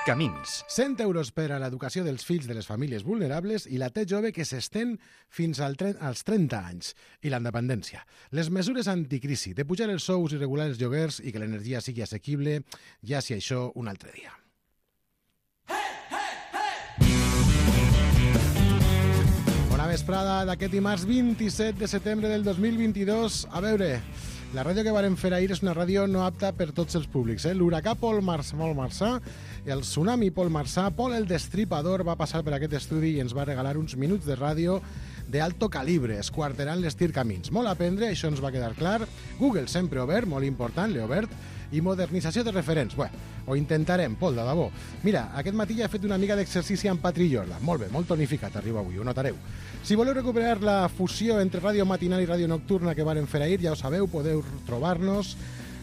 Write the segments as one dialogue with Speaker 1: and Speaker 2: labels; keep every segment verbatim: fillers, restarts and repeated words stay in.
Speaker 1: Camins.
Speaker 2: cent euros per a l'educació dels fills de les famílies vulnerables i la T jove que s'estén fins al tre- als trenta anys. I la independència. Les mesures anticrisi de pujar els sous i regular els lloguers i que l'energia sigui assequible, ja si això un altre dia. Bona vesprada d'aquest dimarts vint-i-set de setembre del dos mil vint-i-dos. A veure, la ràdio que vàrem fer ahir és una ràdio no apta per tots els públics. Eh? L'huracà Pol Marçà, Pol Marçà, el tsunami Pol Marçà, Pol el Destripador va passar per aquest estudi i ens va regalar uns minuts de ràdio d'alto calibre, esquarterant les tircamins. Molt a aprendre, això ens va quedar clar. Google sempre obert, molt important, l'he obert. I modernització de referents. Bé, ho intentarem, Pol, de debò. Mira, aquest matí ja he fet una mica d'exercici amb Patri Jorda. Molt bé, molt tonificat arriba avui, ho notareu. Si voleu recuperar la fusió entre ràdio matinal i ràdio nocturna que vàrem fer ahir, ja ho sabeu, podeu trobar-nos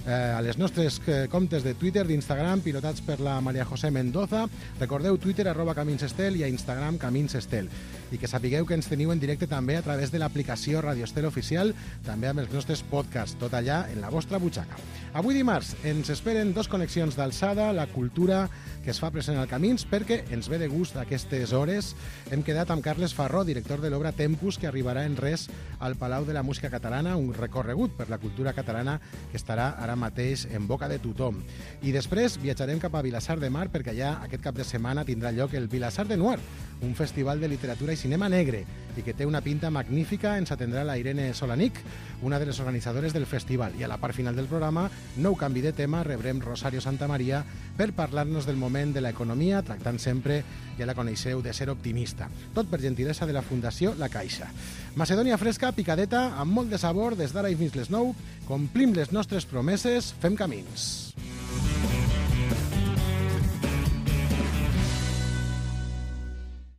Speaker 2: eh, a les nostres eh, comptes de Twitter, d'Instagram, pilotats per la Maria José Mendoza. Recordeu Twitter, arroba Caminsestel, i a Instagram, Caminsestel. I que sapigueu que ens teniu en directe també a través de l'aplicació Radio Estel Oficial, també amb els nostres podcasts, tot allà en la vostra butxaca. Avui dimarts ens esperen dos connexions d'alçada, la cultura que es fa present al Camins, perquè ens ve de gust aquestes hores. Hem quedat amb Carles Farró, director de l'obra Tempus, que arribarà en res al Palau de la Música Catalana, un recorregut per la cultura catalana que estarà ara mateix en boca de tothom. I després viatjarem cap a Vilassar de Mar, perquè allà aquest cap de setmana tindrà lloc el Vilassar de Noir, un festival de literatura i cinema negre, i que té una pinta magnífica. Ens atendrà la Irene Solanic, una de les organitzadores del festival. I a la part final del programa, nou canvi de tema, rebrem Rosario Santamaria per parlar-nos del moment de l'economia, tractant sempre, ja la coneixeu, de ser optimista. Tot per gentilesa de la Fundació La Caixa. Macedònia fresca, picadeta, amb molt de sabor, des d'ara i fins les nou. Complim les nostres promeses, fem camins.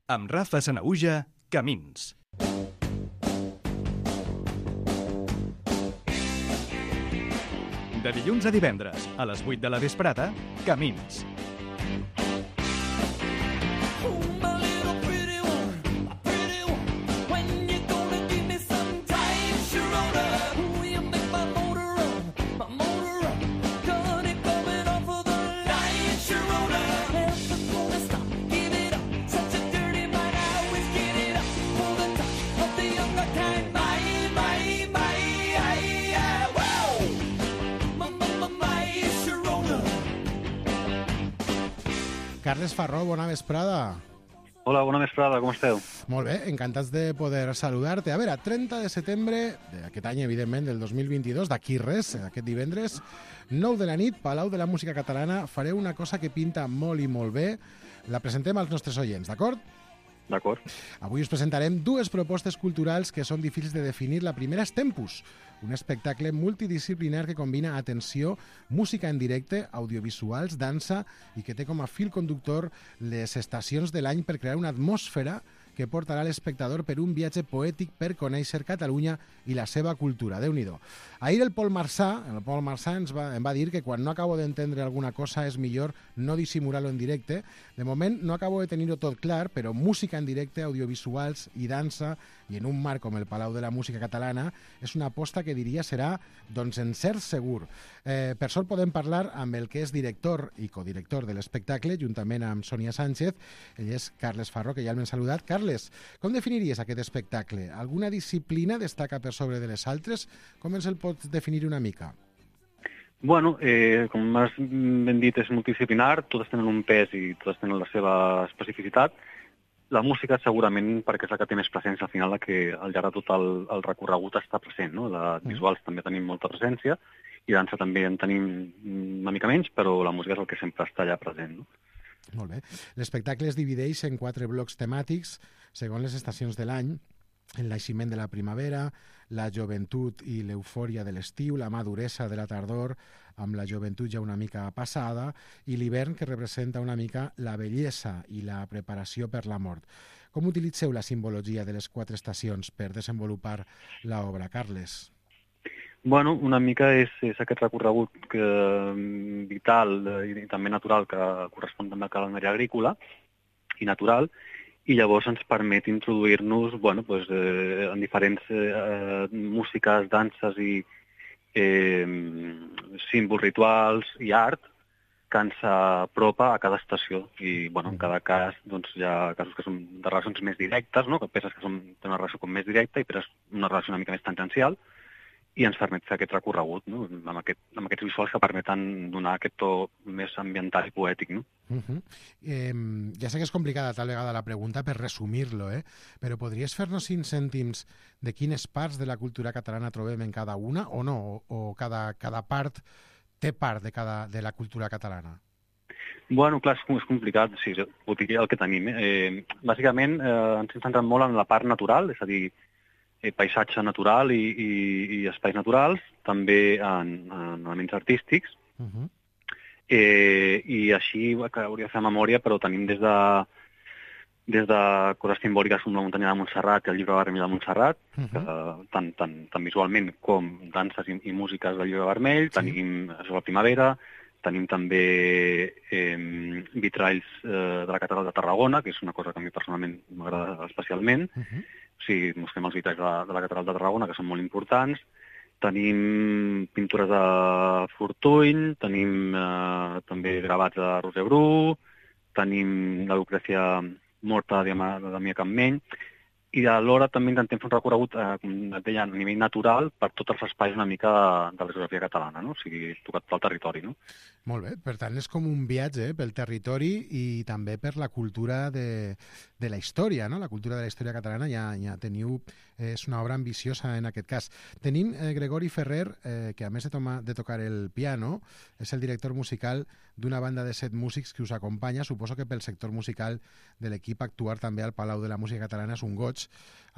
Speaker 1: Amb Rafa Sanaüja, Camins. De dilluns a divendres, a les vuit de la vesprada, Camins.
Speaker 2: Carles Farró, bona vesprada.
Speaker 3: Hola, bona vesprada, com esteu?
Speaker 2: Molt bé, encantats de poder saludar-te. A veure, trenta de setembre d'aquest any, evidentment, del dos mil vint-i-dos, d'aquí res, aquest divendres, nou de la nit, Palau de la Música Catalana, fareu una cosa que pinta molt i molt bé. La presentem als nostres oients, d'acord?
Speaker 3: D'acord.
Speaker 2: Avui us presentarem dues propostes culturals que són difícils de definir. La primera és Tempus, un espectacle multidisciplinar que combina, atenció, música en directe, audiovisuals, dansa i que té com a fil conductor les estacions de l'any per crear una atmosfera que portarà l'espectador per un viatge poètic per conèixer Catalunya i la seva cultura. Déu-n'hi-do. Ahir el Pol Marçà, el Pol Marçà ens va, em va dir que quan no acabo d'entendre alguna cosa és millor no dissimular-lo en directe. De moment no acabo de tenir-ho tot clar, però música en directe, audiovisuals i dansa, i en un marc com el Palau de la Música Catalana, és una aposta que diria serà doncs, en cert segur. Eh, per sort podem parlar amb el que és director i codirector de l'espectacle, juntament amb Sònia Sánchez. Ell és Carles Farró, que ja l'hem saludat. Carles, com definiries aquest espectacle? Alguna disciplina destaca per sobre de les altres? Com ens el pots definir una mica?
Speaker 3: Bueno, eh, com has ben dit, és multidisciplinar, totes tenen un pes i totes tenen la seva especificitat. La música segurament perquè és la que té més presència al final, la que al llarg de tot el, el recorregut està present, no? La visuals també tenim molta presència i dansa també en tenim una mica menys, però la música és el que sempre està allà present, no?
Speaker 2: Molt bé. L'espectacle es divideix en quatre blocs temàtics segons les estacions de l'any: el naixement de la primavera, la joventut i l'eufòria de l'estiu, la maduresa de la tardor, amb la joventut ja una mica passada, i l'hivern, que representa una mica la bellesa i la preparació per la mort. Com utilitzeu la simbologia de les quatre estacions per desenvolupar l'obra, Carles?
Speaker 3: Bueno, una mica és, és aquest recorregut que, vital i, i també natural que correspon també al calendari agrícola i natural, i llavors ens permet introduir-nos bueno, pues, eh, en diferents eh, músiques, danses i eh, símbols rituals i art que ens apropa a cada estació. I, bueno, en cada cas, doncs, hi ha casos que són de relacions més directes, no? Que peces que són, tenen una relació com més directa i peces una relació una mica més tangencial, i ens permet fer aquest recorregut, no? amb, aquest, amb aquests visuals que permeten donar aquest to més ambiental i poètic. No?
Speaker 2: Uh -huh. eh, ja sé que és complicada tal vegada la pregunta per resumir-lo, eh? Però podries fer-nos cinc cèntims de quines parts de la cultura catalana trobem en cada una o no? O, o cada, cada part té part de, cada, de la cultura catalana?
Speaker 3: Bueno, clar, és complicat. Sí, ho diria el que tenim. Eh, bàsicament, eh, ens hem centrat molt en la part natural, és a dir, eh, paisatge natural i, i, i espais naturals, també en, en elements artístics.
Speaker 2: Uh -huh.
Speaker 3: eh, I així, que hauria de fer memòria, però tenim des de, des de coses simbòliques com la muntanya de Montserrat i el llibre vermell de Montserrat, uh -huh. que, tant, tant, tant visualment com danses i, i músiques del llibre vermell, sí. Tenim això, la primavera, tenim també eh, vitralls eh, de la catedral de Tarragona, que és una cosa que a mi personalment m'agrada especialment. Uh -huh. O sigui, mostrem els vitralls de la, de la catedral de Tarragona, que són molt importants. Tenim pintures de Fortuny, tenim eh, també gravats de Roser Bru, tenim la Lucrècia morta de Damià Campmeny, i alhora també intentem fer un recorregut eh, com et deia, a nivell natural per tots els espais una mica de la geografia catalana, no? O sigui, tocat pel territori, no?
Speaker 2: Molt bé, per tant és com un viatge eh, pel territori i també per la cultura de, de la història, no? La cultura de la història catalana ja, ja teniu, eh, és una obra ambiciosa en aquest cas. Tenim eh, Gregori Ferrer, eh, que a més de, toma, de tocar el piano, és el director musical d'una banda de set músics que us acompanya. Suposo que pel sector musical de l'equip actuar també al Palau de la Música Catalana és un goig,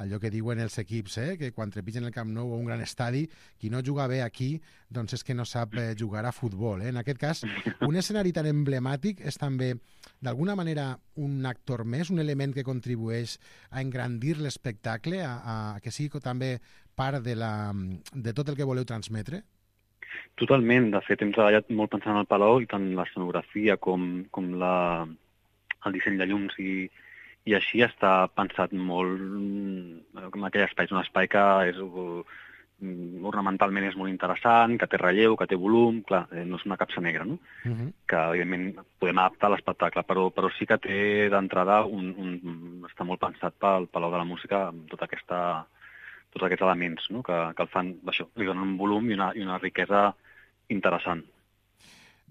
Speaker 2: allò que diuen els equips, eh? Que quan trepitgen el Camp Nou o un gran estadi, qui no juga bé aquí, doncs és que no sap eh, jugar a futbol. Eh? En aquest cas, un escenari tan emblemàtic és també, d'alguna manera, un actor més, un element que contribueix a engrandir l'espectacle, a, a que sigui també part de, la, de tot el que voleu transmetre?
Speaker 3: Totalment. De fet, hem treballat molt pensant en el Palau i tant l'escenografia com, com la, el disseny de llums i i així està pensat molt en aquell espai. És un espai que és, ornamentalment és molt interessant, que té relleu, que té volum, clar, no és una capsa negra, no? Uh -huh. Que, evidentment, podem adaptar a l'espectacle, però, però sí que té d'entrada un, un, està molt pensat pel Palau de la Música amb tota aquesta, tots aquests elements, no? que, que el fan, això, li donen un volum i una, i una riquesa interessant.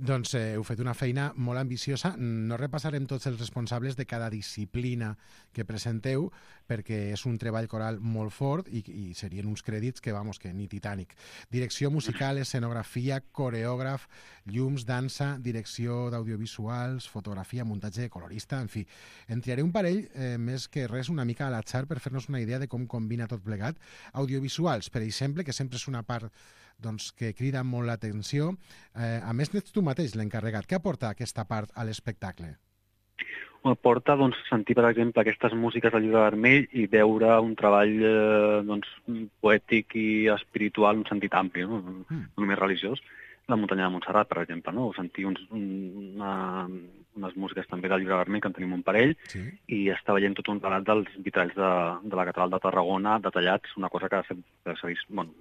Speaker 2: Doncs eh, heu fet una feina molt ambiciosa. No repassarem tots els responsables de cada disciplina que presenteu, perquè és un treball coral molt fort i, i serien uns crèdits que, vamos, que ni Titanic. Direcció musical, escenografia, coreògraf, llums, dansa, direcció d'audiovisuals, fotografia, muntatge, colorista, en fi. En triaré un parell, eh, més que res una mica a l'atzar per fer-nos una idea de com combina tot plegat. Audiovisuals, per exemple, que sempre és una part doncs, que crida molt l'atenció. Eh, a més, n'ets tu mateix l'encarregat. Què aporta aquesta part a l'espectacle?
Speaker 3: Aporta doncs, sentir, per exemple, aquestes músiques del llibre vermell i veure un treball eh, doncs, poètic i espiritual en un sentit ampli, no, mm. no només religiós. La muntanya de Montserrat, per exemple, no? O sentir uns, una, unes músiques també del llibre vermell, que en tenim un parell, sí. I està veient tot un relat dels vitralls de, de la catedral de Tarragona, detallats, una cosa que s'ha vist bueno,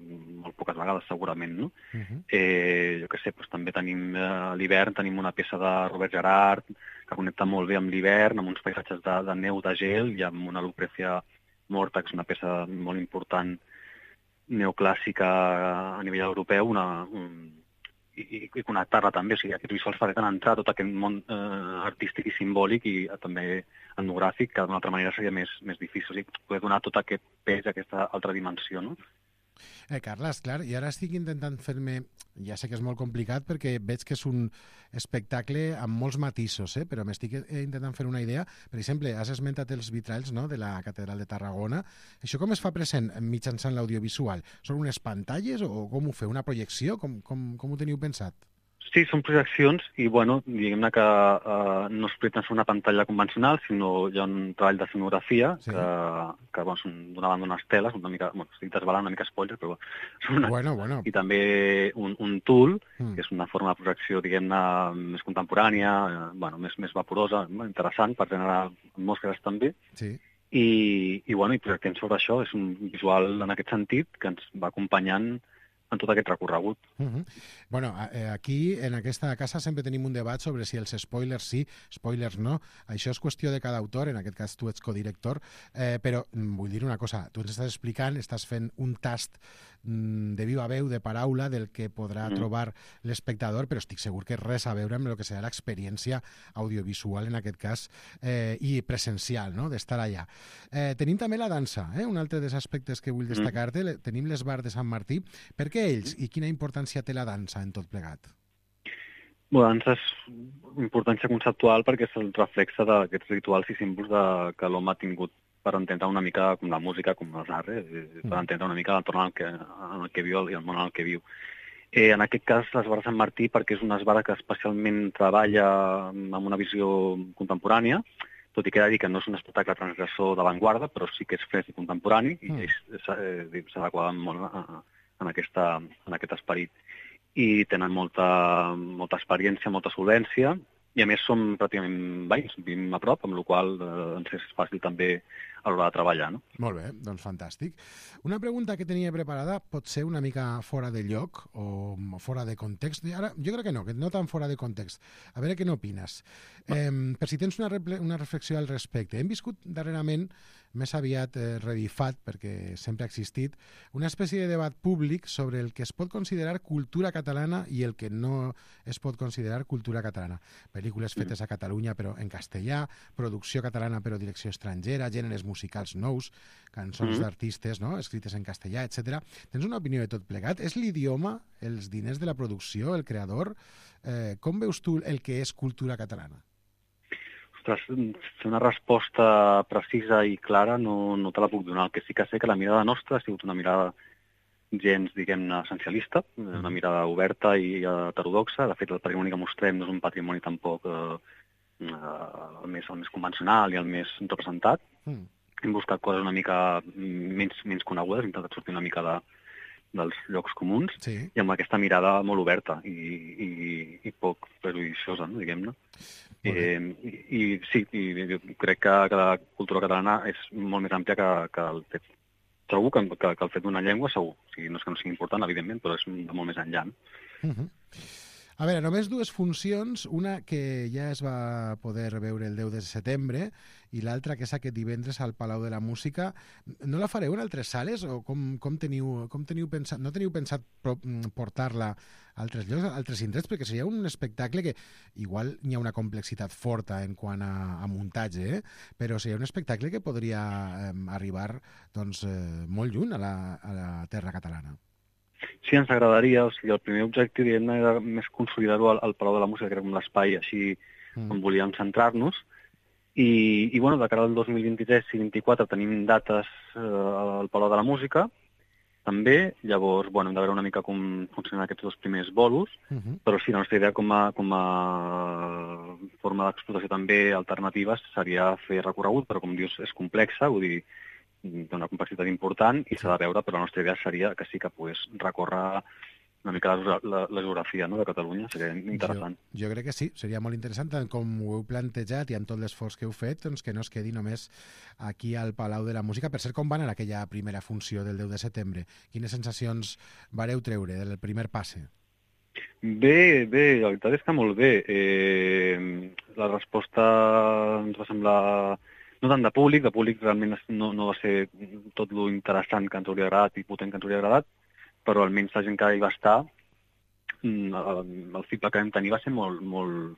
Speaker 3: molt poques vegades, segurament, no? Uh -huh. eh, jo què sé, doncs, també tenim eh, a l'hivern, tenim una peça de Robert Gerard, que connecta molt bé amb l'hivern, amb uns paisatges de, de neu, de gel, i amb una Lucrècia morta, que és una peça molt important, neoclàssica a nivell europeu, una... Un, i, i connectar-la també, o sigui, aquests visuals permeten entrar a tot aquest món eh, artístic i simbòlic i eh, també etnogràfic, que d'una altra manera seria més, més difícil, o sigui, poder donar tot aquest pes, aquesta altra dimensió, no?
Speaker 2: Eh, Carles, clar, i ara estic intentant fer-me... Ja sé que és molt complicat perquè veig que és un espectacle amb molts matisos, eh? Però m'estic intentant fer una idea. Per exemple, has esmentat els vitralls, no?, de la Catedral de Tarragona. Això com es fa present mitjançant l'audiovisual? Són unes pantalles o com ho feu? Una projecció? Com, com, com ho teniu pensat?
Speaker 3: Sí, són projeccions i, bueno, diguem-ne que eh, no es pretén ser una pantalla convencional, sinó hi ha un treball d'escenografia, sí. que, que bueno, són d'una banda unes teles, una mica, bueno, estic desvelant una mica spoiler, però són una...
Speaker 2: Bueno, bueno.
Speaker 3: I també un, un tool, mm. que és una forma de projecció, diguem-ne, més contemporània, eh, bueno, més, més vaporosa, interessant per generar atmosferes també.
Speaker 2: Sí.
Speaker 3: I, i, bueno, i projectem sobre això, és un visual en aquest sentit que ens va acompanyant en tot aquest recorregut.
Speaker 2: Uh-huh. Bueno, aquí, en aquesta casa, sempre tenim un debat sobre si els spoilers sí, spoilers no. Això és qüestió de cada autor, en aquest cas tu ets codirector, eh, però vull dir una cosa, tu ens estàs explicant, estàs fent un tast mm, de viva veu, de paraula, del que podrà mm. trobar l'espectador, però estic segur que res a veure amb el que serà l'experiència audiovisual, en aquest cas, eh, i presencial, no?, d'estar allà. Eh, tenim també la dansa, eh? Un altre dels aspectes que vull destacar-te, mm. tenim l'esbar de Sant Martí. Per què ells i quina importància té la dansa en tot plegat?
Speaker 3: La dansa és importància conceptual perquè és el reflexe d'aquests rituals i símbols de, que l'home ha tingut per entendre una mica com la música, com els arts, eh? per entendre una mica l'entorn en, el que, en el que viu i el món en el que viu. Eh, en aquest cas, l'esbar de Sant Martí, perquè és una esbara que especialment treballa amb una visió contemporània, tot i que he de dir que no és un espectacle transgressor d'avantguarda, però sí que és fresc i contemporani, i mm. s'adequa molt a, a, en, aquesta, en aquest esperit. I tenen molta, molta experiència, molta solvència, i a més som pràcticament veïns, vivim a prop, amb la qual cosa ens és fàcil també a l'hora de treballar. No?
Speaker 2: Molt bé, doncs fantàstic. Una pregunta que tenia preparada pot ser una mica fora de lloc o fora de context. Ara, jo crec que no, que no tan fora de context. A veure què n'opines. Eh, per si tens una, una reflexió al respecte. Hem viscut darrerament, més aviat eh, revifat, perquè sempre ha existit, una espècie de debat públic sobre el que es pot considerar cultura catalana i el que no es pot considerar cultura catalana. Pel·lícules fetes a Catalunya però en castellà, producció catalana però direcció estrangera, gèneres musicals nous, cançons mm-hmm. d'artistes, no?, escrites en castellà, etcètera. Tens una opinió de tot plegat? És l'idioma, els diners de la producció, el creador? Eh, com veus tu el que és cultura catalana?
Speaker 3: Ostres, fer una resposta precisa i clara no, no te la puc donar. El que sí que sé que la mirada nostra ha sigut una mirada gens, diguem-ne, essencialista, una mirada oberta i heterodoxa. De fet, el patrimoni que mostrem no és un patrimoni tampoc eh, el, més, el més convencional i el més representat. Mm. Hem buscat coses una mica menys, menys conegudes, hem intentat sortir una mica de, dels llocs comuns, sí. i amb aquesta mirada molt oberta i, i, i poc prejuiciosa, no, diguem-ne. Eh, i, I sí, i, crec que, que la cultura catalana és molt més àmplia que, que el fet, trobo que, que, que el fet d'una llengua segur. O sigui, no és que no sigui important, evidentment, però és molt més enllà.
Speaker 2: Uh -huh. A veure, només dues funcions, una que ja es va poder veure el deu de setembre i l'altra que és aquest divendres al Palau de la Música. No la fareu en altres sales o com, com, teniu, com teniu pensat? No teniu pensat portar-la a altres llocs, a altres indrets? Perquè seria un espectacle que igual hi ha una complexitat forta en quant a, a muntatge, eh? Però seria un espectacle que podria eh, arribar doncs, eh, molt lluny a la, a la terra catalana.
Speaker 3: Sí, ens agradaria. O sigui, el primer objectiu, diguem-ne, era més consolidar-ho al, al Palau de la Música, que era com l'espai així mm. on volíem centrar-nos. I, i bueno, de cara al dos mil vint-i-tres i vint-i-quatre tenim dates eh, al Palau de la Música, també. Llavors, bueno, hem de veure una mica com funcionen aquests dos primers bolos, uh-huh. però sí, la nostra idea com a, com a forma d'explotació també alternativa seria fer recorregut, però com dius, és complexa, vull dir, té una complexitat important i s'ha de veure, però la nostra idea seria que sí que pogués recórrer una mica la, la, la geografia, no?, de Catalunya, seria interessant.
Speaker 2: Jo, jo crec que sí, seria molt interessant, tant com ho heu plantejat i amb tot l'esforç que heu fet, doncs que no es quedi només aquí al Palau de la Música. Per cert, com va anar aquella primera funció del deu de setembre? Quines sensacions vareu treure del primer passe?
Speaker 3: Bé, bé, la veritat és que molt bé. Eh, la resposta ens va semblar no tant de públic, de públic realment no, no va ser tot lo interessant que ens hauria agradat i potent que ens hauria agradat, però almenys la gent que hi va estar, el, el feedback que vam tenir va ser molt, molt,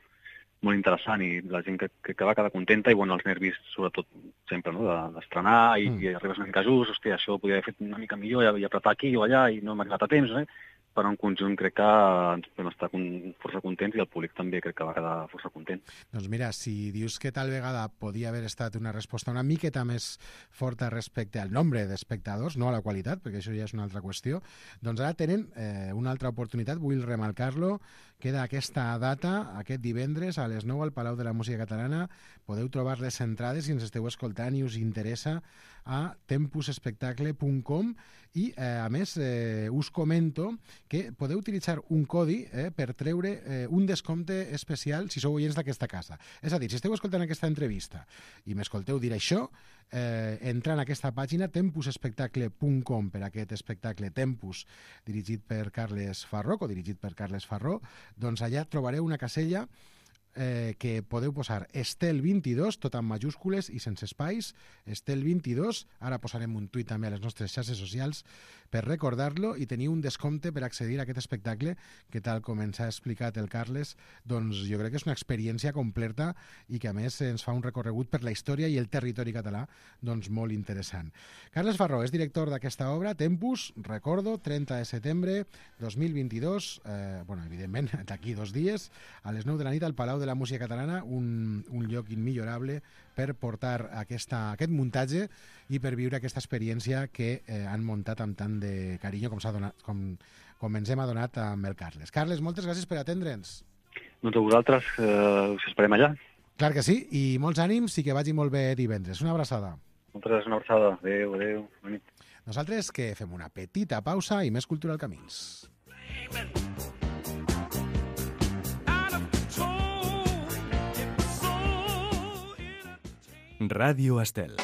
Speaker 3: molt interessant i la gent que, que, que va quedar contenta i bueno, els nervis, sobretot sempre, no?, d'estrenar i, mm. i arribes una mica just, hòstia, això ho podia haver fet una mica millor i, i apretar aquí o allà i no hem arribat a temps, eh? Però en conjunt crec que ens podem estar força contents i el públic també crec que va quedar força content.
Speaker 2: Doncs mira, si dius que tal vegada podia haver estat una resposta una miqueta més forta respecte al nombre d'espectadors, no a la qualitat, perquè això ja és una altra qüestió, doncs ara tenen eh, una altra oportunitat, vull remarcar-lo, queda aquesta data, aquest divendres a les nou al Palau de la Música Catalana. Podeu trobar les entrades si ens esteu escoltant i us interessa a tempus espectacle punt com i, eh, a més, eh, us comento que podeu utilitzar un codi eh, per treure eh, un descompte especial si sou oients d'aquesta casa. És a dir, si esteu escoltant aquesta entrevista i m'escolteu dir això, eh, entrant a aquesta pàgina tempus espectacle punt com per aquest espectacle Tempus, dirigit per Carles Farró, o dirigit per Carles Farró, doncs allà trobareu una casella eh, que podeu posar Estel vint-i-dos, tot en majúscules i sense espais, Estel vint-i-dos, ara posarem un tuit també a les nostres xarxes socials per recordar-lo, i teniu un descompte per accedir a aquest espectacle que, tal com ens ha explicat el Carles, doncs jo crec que és una experiència completa i que a més ens fa un recorregut per la història i el territori català doncs molt interessant. Carles Farró és director d'aquesta obra, Tempus, recordo, trenta de setembre dos mil vint-i-dos, eh, bueno, evidentment d'aquí dos dies, a les nou de la nit al Palau de la Música Catalana, un, un lloc immillorable per portar aquesta, aquest muntatge i per viure aquesta experiència que eh, han muntat amb tant de carinyo com, s'ha donat, com, com ens hem adonat amb el Carles. Carles, moltes gràcies per atendre'ns.
Speaker 3: Doncs a vosaltres eh, us esperem allà.
Speaker 2: Clar que sí, i molts ànims i que vagi molt bé divendres. Una abraçada.
Speaker 3: Moltes gràcies, una abraçada. Adéu, adéu. Bona nit.
Speaker 2: Nosaltres que fem una petita pausa i més cultura al Camins.
Speaker 1: Ràdio Estel.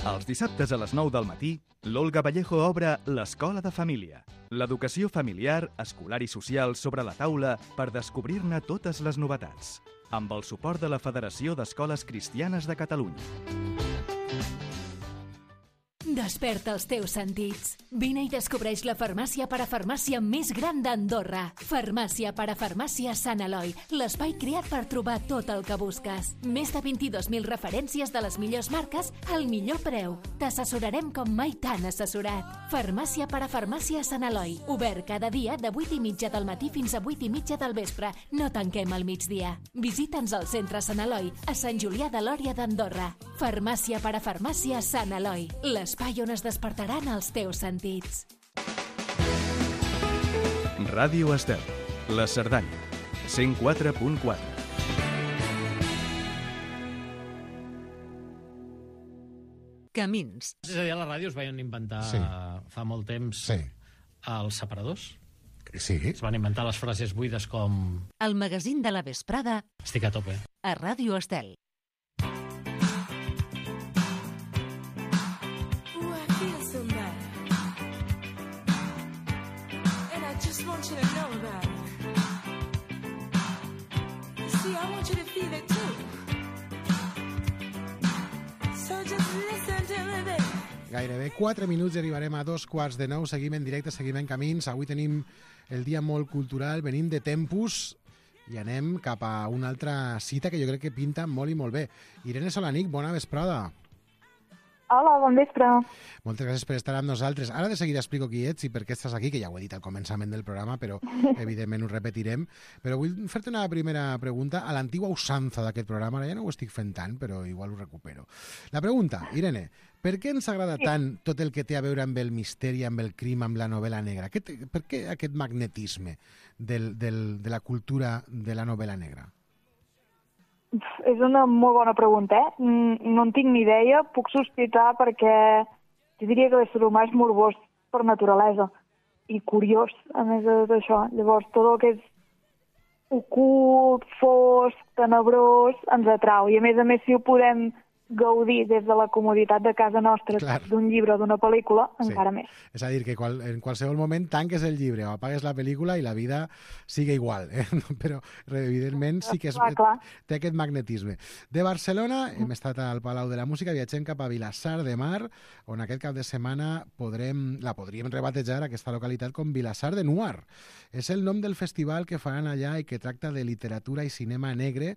Speaker 1: Els dissabtes a les nou del matí, l'Olga Vallejo obre l'Escola de Família. L'educació familiar, escolar i social sobre la taula per descobrir-ne totes les novetats. Amb el suport de la Federació d'Escoles Cristianes de Catalunya.
Speaker 4: Desperta els teus sentits. Vine i descobreix la farmàcia parafarmàcia més gran d'Andorra. Farmàcia parafarmàcia Sant Eloi, l'espai creat per trobar tot el que busques. Més de vint-i-dos mil referències de les millors marques al millor preu. T'assessorarem com mai t'han assessorat. Farmàcia parafarmàcia Sant Eloi, obert cada dia de vuit i mitja del matí fins a vuit i mitja del vespre. No tanquem al migdia. Visita'ns al centre Sant Eloi, a Sant Julià de Lòria d'Andorra. Farmàcia parafarmàcia Sant Eloi, l'espai on es despertaran els teus sentits.
Speaker 1: Ràdio Estel, la Cerdanya, cent quatre punt quatre.
Speaker 5: Camins.
Speaker 6: És a dir, a la ràdio es van inventar
Speaker 2: Sí.
Speaker 6: fa molt temps
Speaker 2: Sí.
Speaker 6: els separadors.
Speaker 2: Sí.
Speaker 6: Es van inventar les frases buides com
Speaker 5: El magazín de la vesprada
Speaker 6: estic a tope.
Speaker 5: a Ràdio Estel.
Speaker 7: Just want you to know about it. You see, I want you to feel it too. So just listen to me, baby.
Speaker 2: Gairebé quatre minuts i arribarem a dos quarts de nou. Seguim en directe, seguim en camins. Avui tenim el dia molt cultural. Venim de Tempus i anem cap a una altra cita que jo crec que pinta molt i molt bé. Irene Solanic, bona vesprada.
Speaker 8: Hola, bon vespre.
Speaker 2: Moltes gràcies per estar amb nosaltres. Ara de seguida explico qui ets i per què estàs aquí, que ja ho he dit al començament del programa, però evidentment ho repetirem. Però vull fer-te una primera pregunta a l'antigua usança d'aquest programa. Ara ja no ho estic fent tant, però igual ho recupero. La pregunta, Irene, per què ens agrada tant tot el que té a veure amb el misteri, amb el crim, amb la novel·la negra? Què té, per què aquest magnetisme del, del, de la cultura de la novel·la negra?
Speaker 8: És una molt bona pregunta, eh? No en tinc ni idea, puc sospitar perquè jo diria que l'ésser humà és morbós per naturalesa i curiós, a més d'això. Llavors, tot el que és ocult, fosc, tenebrós, ens atrau. I a més a més, si ho podem gaudir des de la comoditat de casa nostra,
Speaker 2: Clar.
Speaker 8: d'un llibre o d'una pel·lícula,
Speaker 2: Sí.
Speaker 8: encara més.
Speaker 2: És a dir, que qual, en qualsevol moment tanques el llibre o apagues la pel·lícula i la vida sigue igual, eh? Però evidentment sí que és,
Speaker 8: Clar, clar.
Speaker 2: té aquest magnetisme. De Barcelona hem estat al Palau de la Música, viatgem cap a Vilassar de Mar, on aquest cap de setmana podrem, la podríem rebatejar, aquesta localitat, com Vilassar de Nuar. És el nom del festival que faran allà i que tracta de literatura i cinema negre,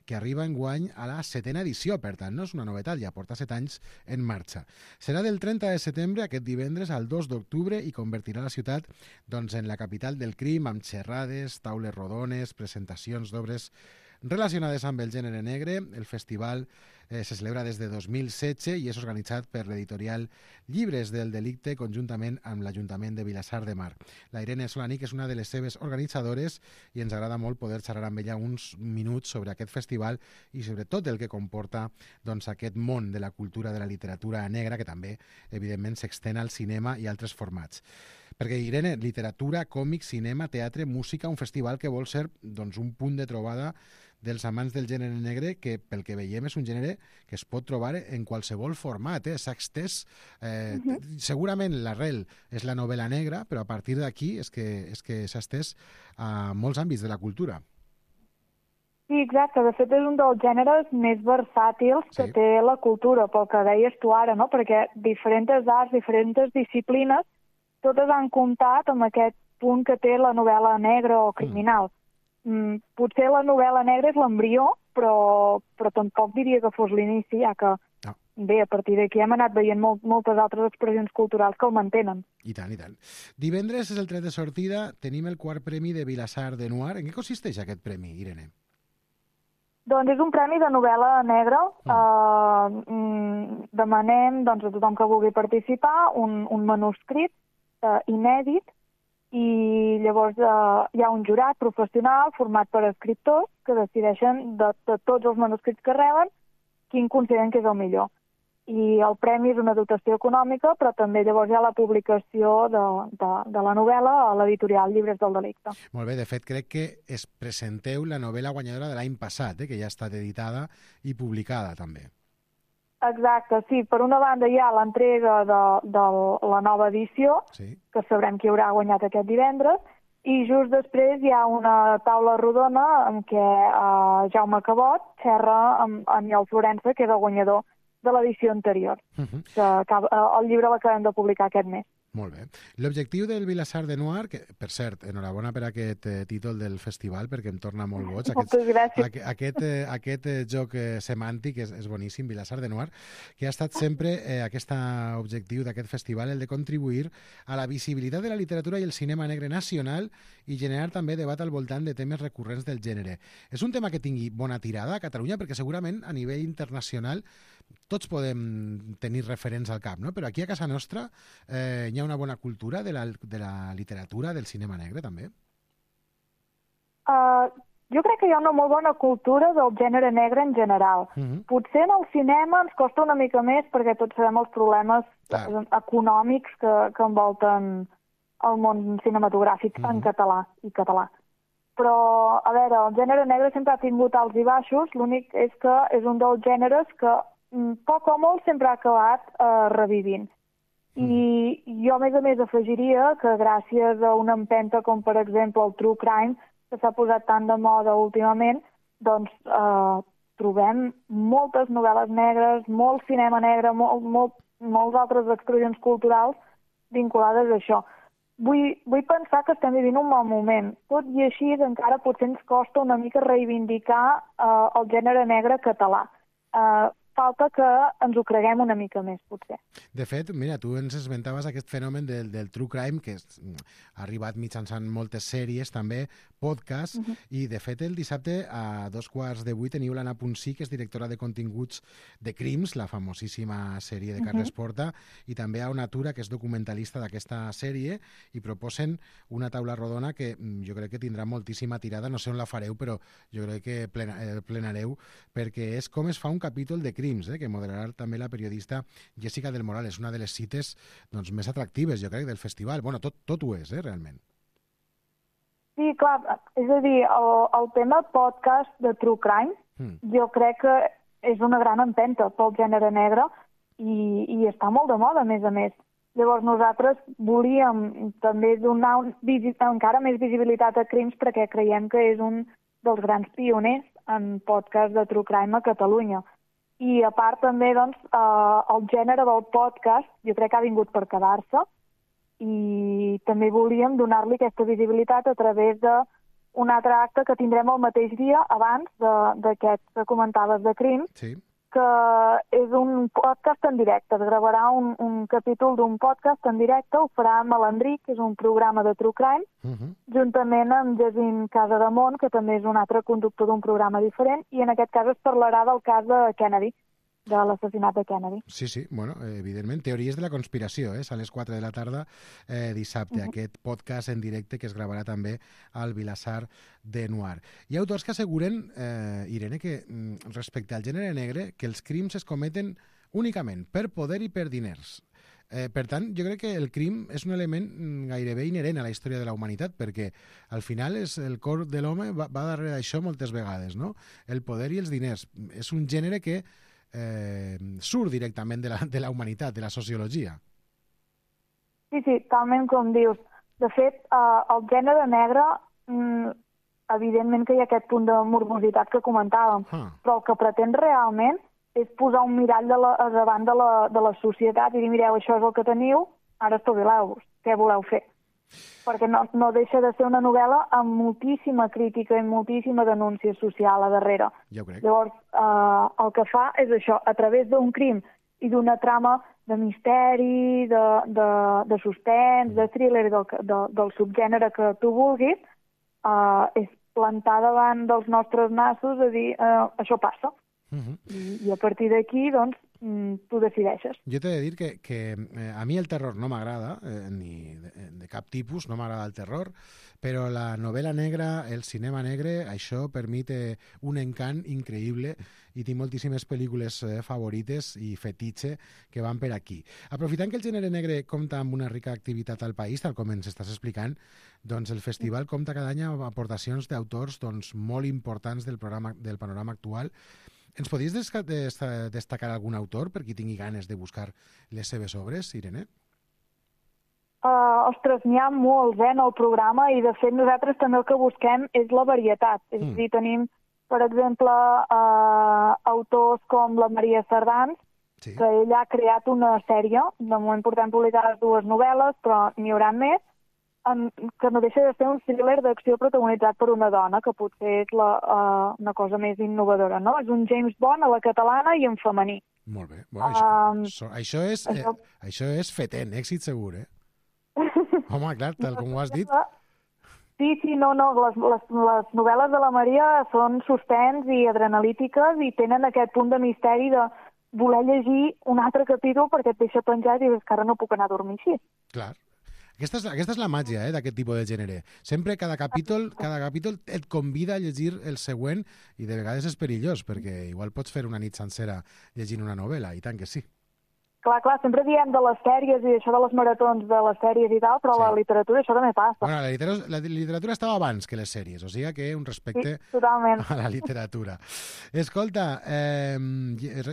Speaker 2: que arriba enguany a la setena edició, per tant, no és una novetat, ja porta set anys en marxa. Serà del trenta de setembre, aquest divendres, al dos d'octubre, i convertirà la ciutat doncs, en la capital del crim, amb xerrades, taules rodones, presentacions d'obres relacionades amb el gènere negre. El festival eh, se celebra des de dos mil setze i és organitzat per l'editorial Llibres del Delicte conjuntament amb l'Ajuntament de Vilassar de Mar. La Irene Solanich és una de les seves organitzadores i ens agrada molt poder xerrar amb ella uns minuts sobre aquest festival i sobre tot el que comporta doncs, aquest món de la cultura de la literatura negra, que també, evidentment, s'extén al cinema i altres formats. Perquè, Irene, literatura, còmic, cinema, teatre, música, un festival que vol ser doncs, un punt de trobada dels amants del gènere negre, que pel que veiem és un gènere que es pot trobar en qualsevol format. Eh? S'ha extès, eh, uh-huh. segurament l'arrel és la novel·la negra, però a partir d'aquí és que, és que s'ha extès a molts àmbits de la cultura.
Speaker 8: Sí, exacte. De fet, és un dels gèneres més versàtils sí. que té la cultura, pel que deies tu ara, no? Perquè diferents arts, diferents disciplines, totes han comptat amb aquest punt que té la novel·la negra o criminal. Mm. Mm, potser la novel·la negra és l'embrió, però, però tampoc diria que fos l'inici, ja que, no. bé, a partir d'aquí hem anat veient molt, moltes altres expressions culturals que el mantenen.
Speaker 2: I tant, i tant. Divendres és el tret de sortida, tenim el quart premi de Vilassar de Noir. En què consisteix aquest premi, Irene?
Speaker 8: Doncs és un premi de novel·la negra. Mm. Uh, demanem doncs, a tothom que vulgui participar un, un manuscrit uh, inèdit i llavors uh, hi ha un jurat professional format per escriptors que decideixen de, de tots els manuscrits que reben quin consideren que és el millor. I el premi és una dotació econòmica, però també llavors hi ha la publicació de, de, de la novel·la a l'editorial Llibres del Delicte.
Speaker 2: Molt bé, de fet crec que es presenteu la novel·la guanyadora de l'any passat, eh, que ja ha estat editada i publicada també.
Speaker 8: Exacte, sí. Per una banda hi ha l'entrega de, de la nova edició, sí. que sabrem qui haurà guanyat aquest divendres, i just després hi ha una taula rodona en què uh, Jaume Cabot xerra amb Aniol Florença, que és el guanyador de l'edició anterior. Uh-huh. que acaba, el llibre l'acabem de publicar aquest mes.
Speaker 2: Molt bé. L'objectiu del Vilassar de Noir, que, per cert, enhorabona per aquest eh, títol del festival, perquè em torna molt boig. Aquest,
Speaker 8: Moltes gràcies.
Speaker 2: Aquest, aquest, eh, aquest eh, joc eh, semàntic és, és boníssim, Vilassar de Noir, que ha estat sempre eh, aquest objectiu d'aquest festival, el de contribuir a la visibilitat de la literatura i el cinema negre nacional i generar també debat al voltant de temes recurrents del gènere. És un tema que tingui bona tirada a Catalunya, perquè segurament a nivell internacional tots podem tenir referents al cap, no? Però aquí a casa nostra eh, hi ha una bona cultura de la, de la literatura, del cinema negre, també?
Speaker 8: Uh, jo crec que hi ha una molt bona cultura del gènere negre en general. Uh-huh. Potser en el cinema ens costa una mica més perquè tots sabem els problemes Clar. econòmics que, que envolten el món cinematogràfic uh-huh. en català i català. Però, a veure, el gènere negre sempre ha tingut alts i baixos, l'únic és que és un dels gèneres que poc o molt sempre ha acabat eh, revivint. I jo, a més a més, afegiria que gràcies a una empenta com, per exemple, el True Crime, que s'ha posat tan de moda últimament, doncs eh, trobem moltes novel·les negres, molt cinema negre, molt, molt, moltes altres expressions culturals vinculades a això. Vull, vull pensar que estem vivint un mal moment. Tot i així, encara potser ens costa una mica reivindicar eh, el gènere negre català. Eh, falta que ens ho creguem una mica més, potser.
Speaker 2: De fet, mira, tu ens esmentaves aquest fenomen del, del true crime, que és, ha arribat mitjançant moltes sèries, també, podcasts, uh-huh. i de fet el dissabte a dos quarts de vuit teniu l'Anna Ponsí, que és directora de continguts de Crims, la famosíssima sèrie de Carles uh-huh. Porta, i també a Onatura, que és documentalista d'aquesta sèrie, i proposen una taula rodona que jo crec que tindrà moltíssima tirada, no sé on la fareu, però jo crec que plena, eh, plenareu, perquè és com es fa un capítol de Crims, eh, que moderarà també la periodista Jessica del Moral. És una de les cites doncs, més atractives, jo crec, del festival. Bueno, tot, tot ho és, eh, realment.
Speaker 8: Sí, clar, és a dir, el, el tema podcast de True Crime, mm. jo crec que és una gran empenta pel gènere negre i, i està molt de moda, a més a més. Llavors nosaltres volíem també donar un, encara més visibilitat a Crims perquè creiem que és un dels grans pioners en podcast de True Crime a Catalunya. I a part també, doncs, eh, el gènere del podcast jo crec que ha vingut per quedar-se i també volíem donar-li aquesta visibilitat a través d'un altre acte que tindrem el mateix dia abans d'aquest que comentaves de Crim,
Speaker 2: sí.
Speaker 8: que és un podcast en directe. Es gravarà un, un capítol d'un podcast en directe, ho farà Malandric, que és un programa de True Crime, uh-huh. juntament amb Jacint Casademont, que també és un altre conductor d'un programa diferent, i en aquest cas es parlarà del cas de Kennedy, de l'assassinat de Kennedy.
Speaker 2: Sí, sí, bueno, evidentment, teories de la conspiració, eh? A les quatre de la tarda eh, dissabte, uh-huh. aquest podcast en directe que es gravarà també al Vilassar de Noir. Hi ha autors que asseguren, eh, Irene, que respecte al gènere negre, que els crims es cometen únicament per poder i per diners. Eh, per tant, jo crec que el crim és un element gairebé inherent a la història de la humanitat, perquè al final és el cor de l'home va, va darrere d'això moltes vegades, no? El poder i els diners. És un gènere que eh, surt directament de la, de la humanitat, de la sociologia.
Speaker 8: Sí, sí, talment com dius. De fet, eh, el gènere negre, mm, evidentment que hi ha aquest punt de morbositat que comentàvem, ah. però el que pretén realment és posar un mirall de la, davant de la, de la societat i dir, mireu, això és el que teniu, ara espavileu-vos, què voleu fer? Perquè no, no deixa de ser una novel·la amb moltíssima crítica i moltíssima denúncia social a darrere.
Speaker 2: Jo crec.
Speaker 8: Llavors, eh, el que fa és això, a través d'un crim i d'una trama de misteri, de, de, de suspens, de thriller, del, de, del subgènere que tu vulguis, eh, és plantar davant dels nostres nassos a dir, eh, això passa. Uh-huh. I, i a partir d'aquí, doncs, tu decideixes.
Speaker 2: Jo t'he de dir que, que eh, a mi el terror no m'agrada, eh, ni de, de cap tipus, no m'agrada el terror, però la novel·la negra, el cinema negre, això per mi té un encant increïble i tinc moltíssimes pel·lícules eh, favorites i fetitxe que van per aquí. Aprofitant que el gènere negre compta amb una rica activitat al país, tal com ens estàs explicant, doncs el festival compta cada any amb aportacions d'autors doncs, molt importants del, programa, del panorama actual. Ens podries destacar algun autor per qui tingui ganes de buscar les seves obres, Irene?
Speaker 8: Uh, ostres, n'hi ha molts eh, en el programa i de fet nosaltres també el que busquem és la varietat. És mm. a dir, tenim, per exemple, uh, autors com la Maria Sardans, sí. que ella ha creat una sèrie, de moment portem publicades dues novel·les, però n'hi haurà més, en, que no deixa de ser un thriller d'acció protagonitzat per una dona, que potser és la, uh, una cosa més innovadora, no? És un James Bond a la catalana i en femení.
Speaker 2: Molt bé. Bueno, això, um, això, això, és, això... Eh, això és fetent, èxit segur, eh? Home, clar, tal com ho has dit.
Speaker 8: Sí, sí, no, no, les, les, les novel·les de la Maria són suspens i adrenalítiques i tenen aquest punt de misteri de voler llegir un altre capítol perquè et deixa penjat i dius que ara no puc anar a dormir així.
Speaker 2: Clar. Aquesta és, aquesta és la màgia eh, d'aquest tipus de gènere. Sempre cada capítol, cada capítol et convida a llegir el següent i de vegades és perillós perquè igual pots fer una nit sencera llegint una novel·la, i tant que sí.
Speaker 8: Clar, clar, sempre diem de les sèries i això de les maratons de les sèries i tal, però sí. La literatura això també passa.
Speaker 2: Bueno, la literatura, la literatura estava abans que les sèries, o sigui que un respecte
Speaker 8: sí,
Speaker 2: a la literatura. Escolta, eh,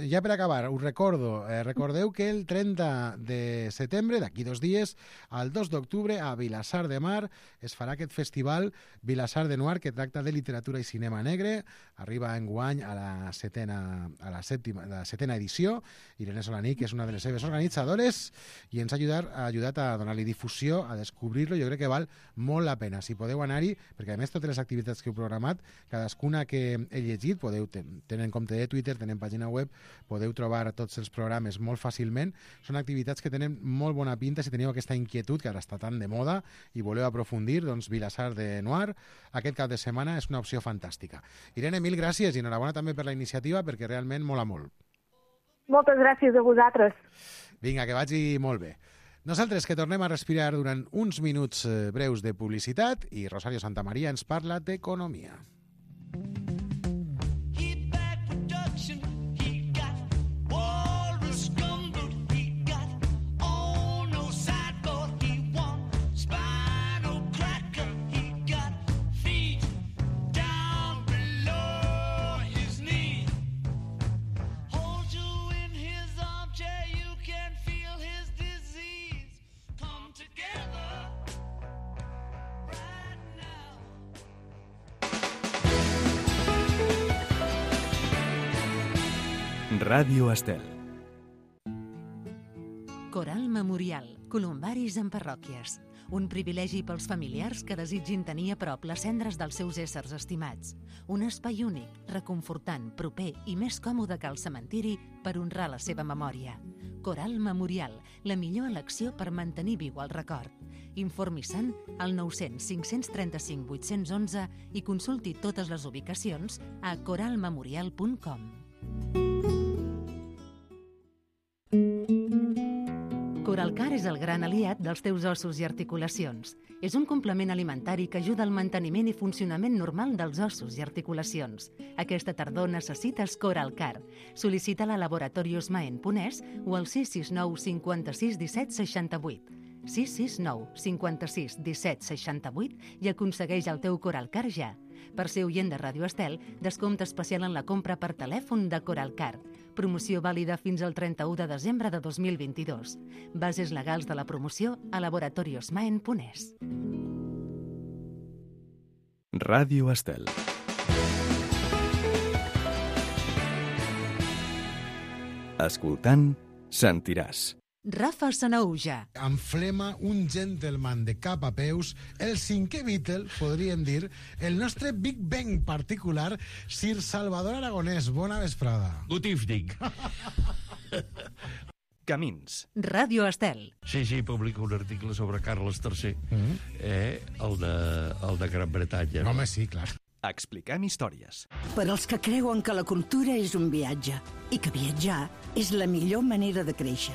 Speaker 2: ja per acabar, us recordo, eh, recordeu que el trenta de setembre, d'aquí dos dies, al dos d'octubre, a Vilassar de Mar, es farà aquest festival Vilassar de Noir, que tracta de literatura i cinema negre. Arriba enguany a la setena, a la sèptima, la setena edició. Irene Solaní, que és una de les seves organitzadores, i ens ha ajudat, ha ajudat a donar-li difusió, a descobrir-lo. Jo crec que val molt la pena. Si podeu anar-hi, perquè a més totes les activitats que heu programat, cadascuna que he llegit, podeu tenir en compte de Twitter, tenen pàgina web, podeu trobar tots els programes molt fàcilment. Són activitats que tenen molt bona pinta. Si teniu aquesta inquietud, que ara està tan de moda, i voleu aprofundir, doncs Vilassar de Noir, aquest cap de setmana és una opció fantàstica. Irene, mil gràcies i enhorabona també per la iniciativa, perquè realment mola molt.
Speaker 8: Moltes gràcies a vosaltres.
Speaker 2: Vinga, que vagi molt bé. Nosaltres que tornem a respirar durant uns minuts breus de publicitat i Rosario Santamaría ens parla d'economia.
Speaker 1: Ràdio Estel.
Speaker 5: Coral Memorial. Columbaris en parròquies. Un privilegi pels familiars que desitgin tenir a prop les cendres dels seus éssers estimats. Un espai únic, reconfortant, proper i més còmode que el cementiri per honrar la seva memòria. Coral Memorial, la millor elecció per mantenir viu el record. Informi-se'n al nou cents cinc cents trenta-cinc vuit-cents onze i consulti totes les ubicacions a coral memorial punt com. Coralcar és el gran aliat dels teus ossos i articulacions. És un complement alimentari que ajuda al manteniment i funcionament normal dels ossos i articulacions. Aquesta tardor necessites Coralcar. Sol·licita-la a Laboratorios Maen Ponès o al sis sis nou cinquanta-sis disset seixanta-vuit. sis sis nou cinquanta-sis disset seixanta-vuit i aconsegueix el teu Coralcar ja. Per ser oient de Ràdio Estel, descompte especial en la compra per telèfon de Coralcar. Promoció vàlida fins al trenta-u de desembre de dos mil vint-i-dos. Bases legals de la promoció a Laboratorios Maen Ponès.
Speaker 1: Ràdio Estel. Escoltant, sentiràs.
Speaker 5: Rafa Sanauja.
Speaker 2: Amb flema, un gentleman de cap a peus, el cinquè Beatle, podríem dir, el nostre Big Bang particular, Sir Salvador Aragonès. Bona vesprada.
Speaker 9: Good evening.
Speaker 1: Camins.
Speaker 5: Ràdio Estel.
Speaker 9: Sí, sí, publico un article sobre Carles tercer, mm. eh, el, de, el de Gran Bretanya.
Speaker 2: No, home, sí, clar.
Speaker 1: Expliquem històries.
Speaker 10: Per als que creuen que la cultura és un viatge i que viatjar és la millor manera de créixer.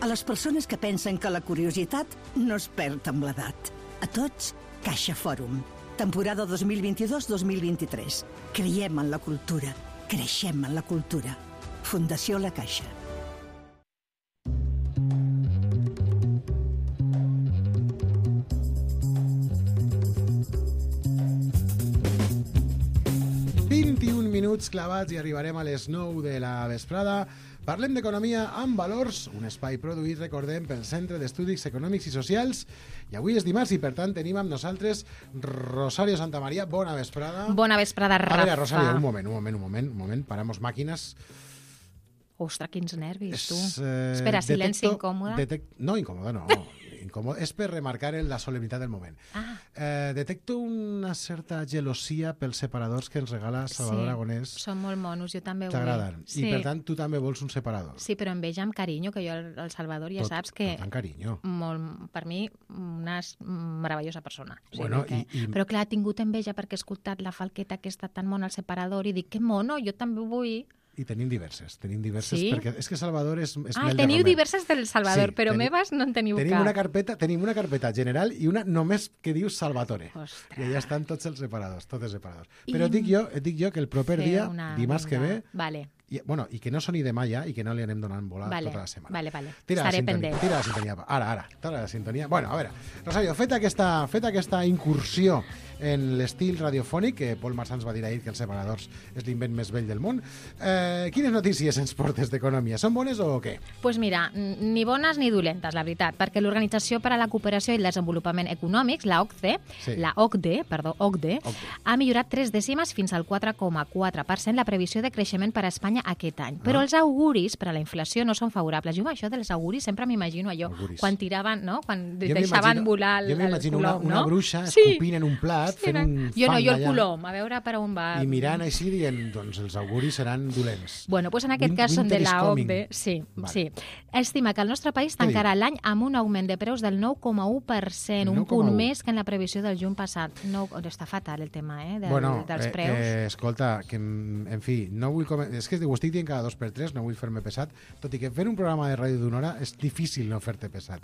Speaker 10: A les persones que pensen que la curiositat no es perd amb l'edat. A tots, Caixa Fòrum. Temporada dos mil vint-i-dos dos mil vint-i-tres. Creiem en la cultura. Creixem en la cultura. Fundació La Caixa.
Speaker 2: vint-i-un minuts clavats i arribarem a les nou de la vesprada. Parlem d'economia amb valors, un espai produït, recordem, pel Centre d'Estudis Econòmics i Socials. I avui és dimarts i, per tant, tenim amb nosaltres Rosario Santamaría. Bona vesprada.
Speaker 11: Bona vesprada, Rafa.
Speaker 2: A veure, Rosario, un moment, un moment, un moment, un moment. Paramos màquines.
Speaker 11: Ostres, quins nervis, tu.
Speaker 2: És, eh,
Speaker 11: Espera, silenci
Speaker 2: detecto,
Speaker 11: incòmode.
Speaker 2: Detec... No, incòmode no. Incòmode. És per remarcar la solemnitat del moment.
Speaker 11: Ah.
Speaker 2: Eh, detecto una certa gelosia pels separadors que ens regala Salvador
Speaker 11: Sí,
Speaker 2: Aragonès.
Speaker 11: són molt monos, jo també ho vull.
Speaker 2: T'agraden.
Speaker 11: Sí.
Speaker 2: I, per tant, tu també vols un separador.
Speaker 11: Sí, però amb ella amb carinyo, que jo, el, el Salvador, ja
Speaker 2: Tot,
Speaker 11: saps que...
Speaker 2: tot amb carinyo.
Speaker 11: Molt, per mi, una s- meravellosa persona. O sigui
Speaker 2: Bueno,
Speaker 11: que...
Speaker 2: i- i-
Speaker 11: Però clar, ha tingut enveja perquè he escoltat la falqueta aquesta tan mona al separador i dic, que mono, jo també ho vull.
Speaker 2: I tenim diverses, tenim diverses,
Speaker 11: Sí?
Speaker 2: perquè és que Salvador és, és
Speaker 11: Ah,
Speaker 2: mel de
Speaker 11: teniu
Speaker 2: Romer.
Speaker 11: diverses del Salvador,
Speaker 2: Sí,
Speaker 11: però
Speaker 2: teni-
Speaker 11: meves no en teniu
Speaker 2: Tenim
Speaker 11: cap.
Speaker 2: una carpeta, tenim una carpeta general i una només que diu Salvatore.
Speaker 11: Ostres.
Speaker 2: I allà estan tots els separadors, tots els separadors.
Speaker 11: I-
Speaker 2: Però et dic jo, et dic jo que el proper
Speaker 11: Fer
Speaker 2: dia,
Speaker 11: una-
Speaker 2: dimarts que
Speaker 11: una-
Speaker 2: ve,
Speaker 11: Vale,
Speaker 2: i, bueno, i que no soni demà ja i que no li anem donant bola
Speaker 11: vale,
Speaker 2: tota la setmana.
Speaker 11: vale, vale.
Speaker 2: Tira la
Speaker 11: Estaré
Speaker 2: sintonia,
Speaker 11: pendent.
Speaker 2: tira la sintonia. Ara, ara, tira la sintonia. Bueno, a veure, Rosario, feta aquesta, feta aquesta incursió en l'estil radiofònic, que Paul Marsan ens va dir ahir que els separadors és l'invent més vell del món, eh, quines notícies ens portes d'economia? Són bones o què?
Speaker 11: Pues mira, n- ni bones ni dolentes, la veritat, perquè l'Organització per a la Cooperació i el Desenvolupament Econòmics, la O C D E,
Speaker 2: Sí.
Speaker 11: la O C D E, perdó, O C D E,
Speaker 2: O C D E.
Speaker 11: ha millorat tres dècimes fins al quatre coma quatre per cent la previsió de creixement per a Espanya aquest any. Però els auguris per a la inflació no són favorables. Jo amb això dels auguris sempre m'imagino allò,
Speaker 2: Auguris.
Speaker 11: quan tiraven, no? Quan
Speaker 2: Jo
Speaker 11: deixaven
Speaker 2: m'imagino-
Speaker 11: volar el,
Speaker 2: jo m'imagino
Speaker 11: el
Speaker 2: una,
Speaker 11: colom,
Speaker 2: una
Speaker 11: no?
Speaker 2: bruixa
Speaker 11: Sí.
Speaker 2: escopint en un plat,
Speaker 11: Sí,
Speaker 2: fent
Speaker 11: no?
Speaker 2: un
Speaker 11: Jo no,
Speaker 2: fang
Speaker 11: jo el
Speaker 2: allà,
Speaker 11: colom, a veure per on va.
Speaker 2: i mirant així dient, doncs els auguris seran dolents.
Speaker 11: Bueno, pues en aquest
Speaker 2: Win-
Speaker 11: cas són de
Speaker 2: winter is
Speaker 11: la O C
Speaker 2: coming.
Speaker 11: D E. Sí,
Speaker 2: Vale.
Speaker 11: sí. Estima que el nostre país
Speaker 2: Què
Speaker 11: tancarà l'any amb un augment de preus del nou coma u per cent, un
Speaker 2: nou coma
Speaker 11: punt
Speaker 2: u.
Speaker 11: més que en la previsió del juny passat. No, està fatal el tema, eh, del,
Speaker 2: bueno,
Speaker 11: dels
Speaker 2: eh,
Speaker 11: preus.
Speaker 2: Eh, escolta, que, en en fi, no vull com... és que ho estic dient cada dos per tres, no vull fer-me pesat, tot i que fer un programa de ràdio d'una hora és difícil no fer-te pesat.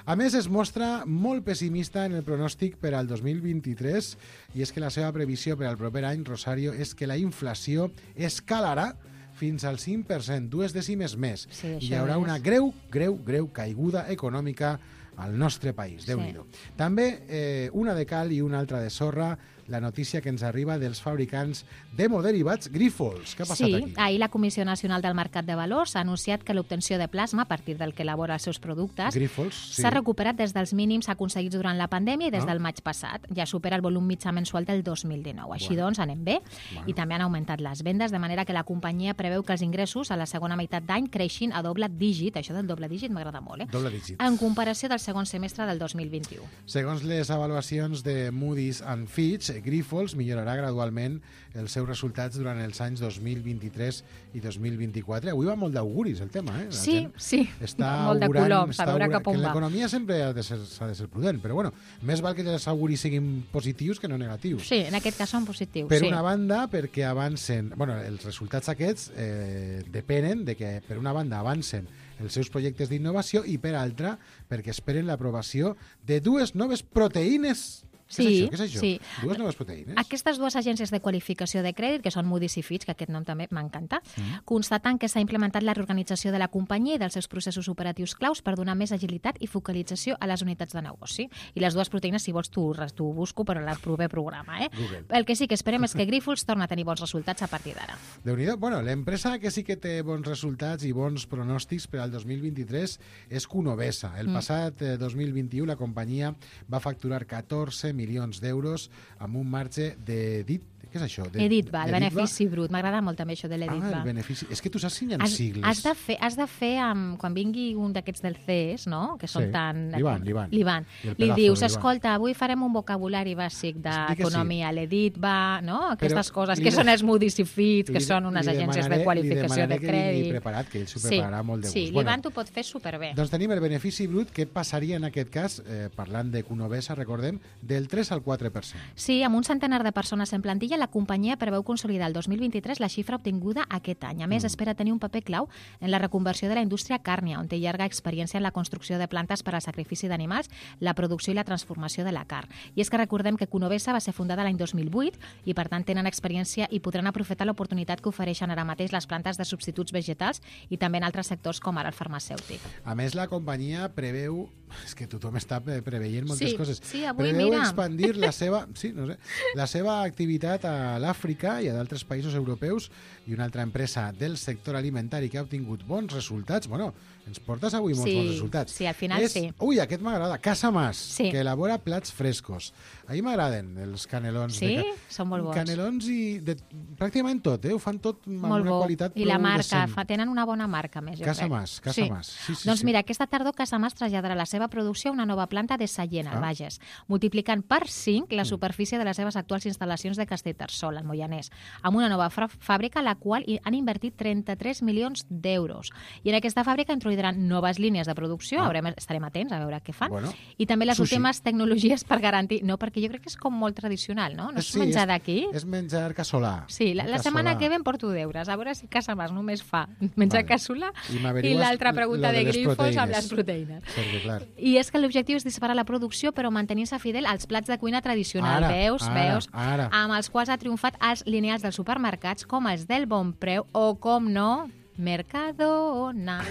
Speaker 2: A més, es mostra molt pessimista en el pronòstic per al dos mil vint-i-tres i és que la seva previsió per al proper any, Rosario, és que la inflació escalarà fins al cinc per cent, dues dècimes més.
Speaker 11: Sí,
Speaker 2: I hi
Speaker 11: això
Speaker 2: haurà
Speaker 11: és.
Speaker 2: una greu, greu, greu caiguda econòmica al nostre país. Déu-n'hi-do. També eh, una de cal i una altra de sorra, la notícia que ens arriba dels fabricants d'hemoderivats Grifols. Què ha passat
Speaker 11: Sí,
Speaker 2: aquí?
Speaker 11: ahir la Comissió Nacional del Mercat de Valors ha anunciat que l'obtenció de plasma a partir del que elabora els seus productes
Speaker 2: Grifols, sí.
Speaker 11: s'ha recuperat des dels mínims aconseguits durant la pandèmia i des
Speaker 2: Ah.
Speaker 11: del maig passat. Ja supera el volum mitjà mensual del dos mil dinou. Així
Speaker 2: Bueno.
Speaker 11: doncs, anem bé.
Speaker 2: Bueno.
Speaker 11: I també han augmentat les vendes, de manera que la companyia preveu que els ingressos a la segona meitat d'any creixin a doble dígit. Això del doble dígit m'agrada molt, eh?
Speaker 2: Doble dígit.
Speaker 11: En comparació del segon semestre del dos mil vint-i-u.
Speaker 2: Segons les avaluacions de Moody's and Fitch, Grifols millorarà gradualment els seus resultats durant els anys dos mil vint-i-tres i dos mil vint-i-quatre. Avui va molt d'auguris el tema, eh? La
Speaker 11: Sí,
Speaker 2: gent
Speaker 11: sí,
Speaker 2: està
Speaker 11: molt de
Speaker 2: augurant,
Speaker 11: coloms, a
Speaker 2: està
Speaker 11: veure
Speaker 2: augurant,
Speaker 11: cap on
Speaker 2: que en
Speaker 11: va.
Speaker 2: l'economia sempre ha de ser, s'ha de ser prudent, però bueno, més val que els auguris siguin positius que no negatius.
Speaker 11: Sí, en aquest cas són positius.
Speaker 2: Per
Speaker 11: sí.
Speaker 2: una banda, perquè avancen... Bueno, els resultats aquests eh, depenen de que, per una banda, avancen els seus projectes d'innovació i, per altra, perquè esperen l'aprovació de dues noves proteïnes. Què
Speaker 11: Sí,
Speaker 2: és això? Què és això?
Speaker 11: sí.
Speaker 2: Dues noves proteïnes?
Speaker 11: Aquestes dues agències de qualificació de crèdit, que són Moody's i Fitch, que aquest nom també m'encanta, mm. constaten que s'ha implementat la reorganització de la companyia i dels seus processos operatius claus per donar més agilitat i focalització a les unitats de negoci. I les dues proteïnes, si vols, tu, tu busco per al proper programa. Eh?
Speaker 2: Google.
Speaker 11: El que sí que esperem és que Grífols torni a tenir bons resultats a partir d'ara.
Speaker 2: Déu-n'hi-do. Bueno, l'empresa que sí que té bons resultats i bons pronòstics per al dos mil vint-i-tres és Cunovesa. El mm. passat eh, dos mil vint-i-u la companyia va facturar catorze milions d'euros amb un marge de dit. Què és això? De,
Speaker 11: Editva, el
Speaker 2: de
Speaker 11: benefici brut. M'agrada molt també això de l'Editva.
Speaker 2: Ah, el benefici. És que tu saps si hi ha
Speaker 11: has,
Speaker 2: sigles.
Speaker 11: Has de fer, has de fer um, quan vingui un d'aquests del C E S, no? Que són
Speaker 2: Sí.
Speaker 11: tan...
Speaker 2: L'Ivan, l'Ivan.
Speaker 11: L'Ivan.
Speaker 2: I el
Speaker 11: Li
Speaker 2: pedazo
Speaker 11: dius,
Speaker 2: de l'Ivan.
Speaker 11: escolta, avui farem un vocabulari bàsic d'economia, sí. l'Editva, no? Aquestes
Speaker 2: Però
Speaker 11: coses
Speaker 2: li
Speaker 11: que
Speaker 2: de-
Speaker 11: són els Moody's i Fitch, que
Speaker 2: Li-
Speaker 11: són unes
Speaker 2: li
Speaker 11: agències
Speaker 2: demanaré-
Speaker 11: de qualificació
Speaker 2: li
Speaker 11: de
Speaker 2: demanaré que vingui
Speaker 11: crèdit.
Speaker 2: preparat, que ell s'ho
Speaker 11: Sí,
Speaker 2: prepararà molt de
Speaker 11: sí,
Speaker 2: gust.
Speaker 11: l'Ivan
Speaker 2: Bueno,
Speaker 11: t'ho pot fer superbé.
Speaker 2: Doncs tenim el benefici brut. Què passaria en aquest cas, eh, parlant de Cunovesa, recordem, del tres al quatre per cent.
Speaker 11: Sí, amb un centenar de persones en plantilla, la companyia preveu consolidar el dos mil vint-i-tres la xifra obtinguda aquest any. A més, mm. espera tenir un paper clau en la reconversió de la indústria càrnia, on té llarga experiència en la construcció de plantes per al sacrifici d'animals, la producció i la transformació de la carn. I és que recordem que Cunovesa va ser fundada l'any dos mil vuit i, per tant, tenen experiència i podran aprofitar l'oportunitat que ofereixen ara mateix les plantes de substituts vegetals i també en altres sectors com ara el farmacèutic.
Speaker 2: A més, la companyia preveu... És que tothom està pre- preveient moltes
Speaker 11: Sí,
Speaker 2: coses.
Speaker 11: sí, avui,
Speaker 2: preveu
Speaker 11: mira.
Speaker 2: expandir la seva, sí, no sé, la seva activitat a l'Àfrica i a d'altres països europeus, i una altra empresa del sector alimentari que ha obtingut bons resultats. Bueno, ens portes avui molts
Speaker 11: Sí,
Speaker 2: bons resultats.
Speaker 11: sí, al final
Speaker 2: és,
Speaker 11: sí.
Speaker 2: Ui, aquest m'agrada. Casa Mas,
Speaker 11: Sí.
Speaker 2: que elabora plats frescos. A mi m'agraden els canelons.
Speaker 11: Sí?
Speaker 2: De ca...
Speaker 11: Són molt bons.
Speaker 2: Canelons i de... pràcticament tot, eh? Ho fan tot amb
Speaker 11: Molt
Speaker 2: una
Speaker 11: bo.
Speaker 2: qualitat
Speaker 11: I la
Speaker 2: prou
Speaker 11: marca,
Speaker 2: decent.
Speaker 11: fa, tenen una bona marca, a més, jo
Speaker 2: Casa
Speaker 11: crec.
Speaker 2: Mas, Casa Mas. Sí, sí,
Speaker 11: doncs
Speaker 2: sí.
Speaker 11: mira, aquesta tardor Casa Mas traslladarà la seva producció a una nova planta de Sallent, al
Speaker 2: Ah.
Speaker 11: Bages, multiplicant per cinc la superfície de les seves actuals instal·lacions de Castellterçol, al Moianès, amb una nova fra- fàbrica a la qual hi han invertit trenta-tres milions d'euros. I en aquesta fàbrica introduiran noves línies de producció,
Speaker 2: Ah.
Speaker 11: haurem, estarem atents a veure què fan,
Speaker 2: Bueno,
Speaker 11: i també les
Speaker 2: sushi.
Speaker 11: últimes tecnologies per garantir... No, perquè jo crec que és com molt tradicional, no? No és
Speaker 2: Sí,
Speaker 11: menjar
Speaker 2: és-
Speaker 11: d'aquí?
Speaker 2: És menjar casolà.
Speaker 11: Sí, la, la
Speaker 2: Casolà.
Speaker 11: setmana que ve em porto deures, a veure si Casa Mas només fa menjar
Speaker 2: Vale.
Speaker 11: casolà
Speaker 2: I
Speaker 11: i
Speaker 2: m'averigues
Speaker 11: l'altra pregunta
Speaker 2: lo de
Speaker 11: de,
Speaker 2: les
Speaker 11: Grífols amb
Speaker 2: proteïnes.
Speaker 11: les proteïnes.
Speaker 2: Perquè, clar,
Speaker 11: I és que l'objectiu és disparar la producció però mantenint-se fidel als plats de cuina tradicional,
Speaker 2: Ara,
Speaker 11: veus,
Speaker 2: ara,
Speaker 11: veus,
Speaker 2: ara.
Speaker 11: amb els quals ha triomfat els lineals dels supermercats com els del Bon Preu o, com no, Mercadona.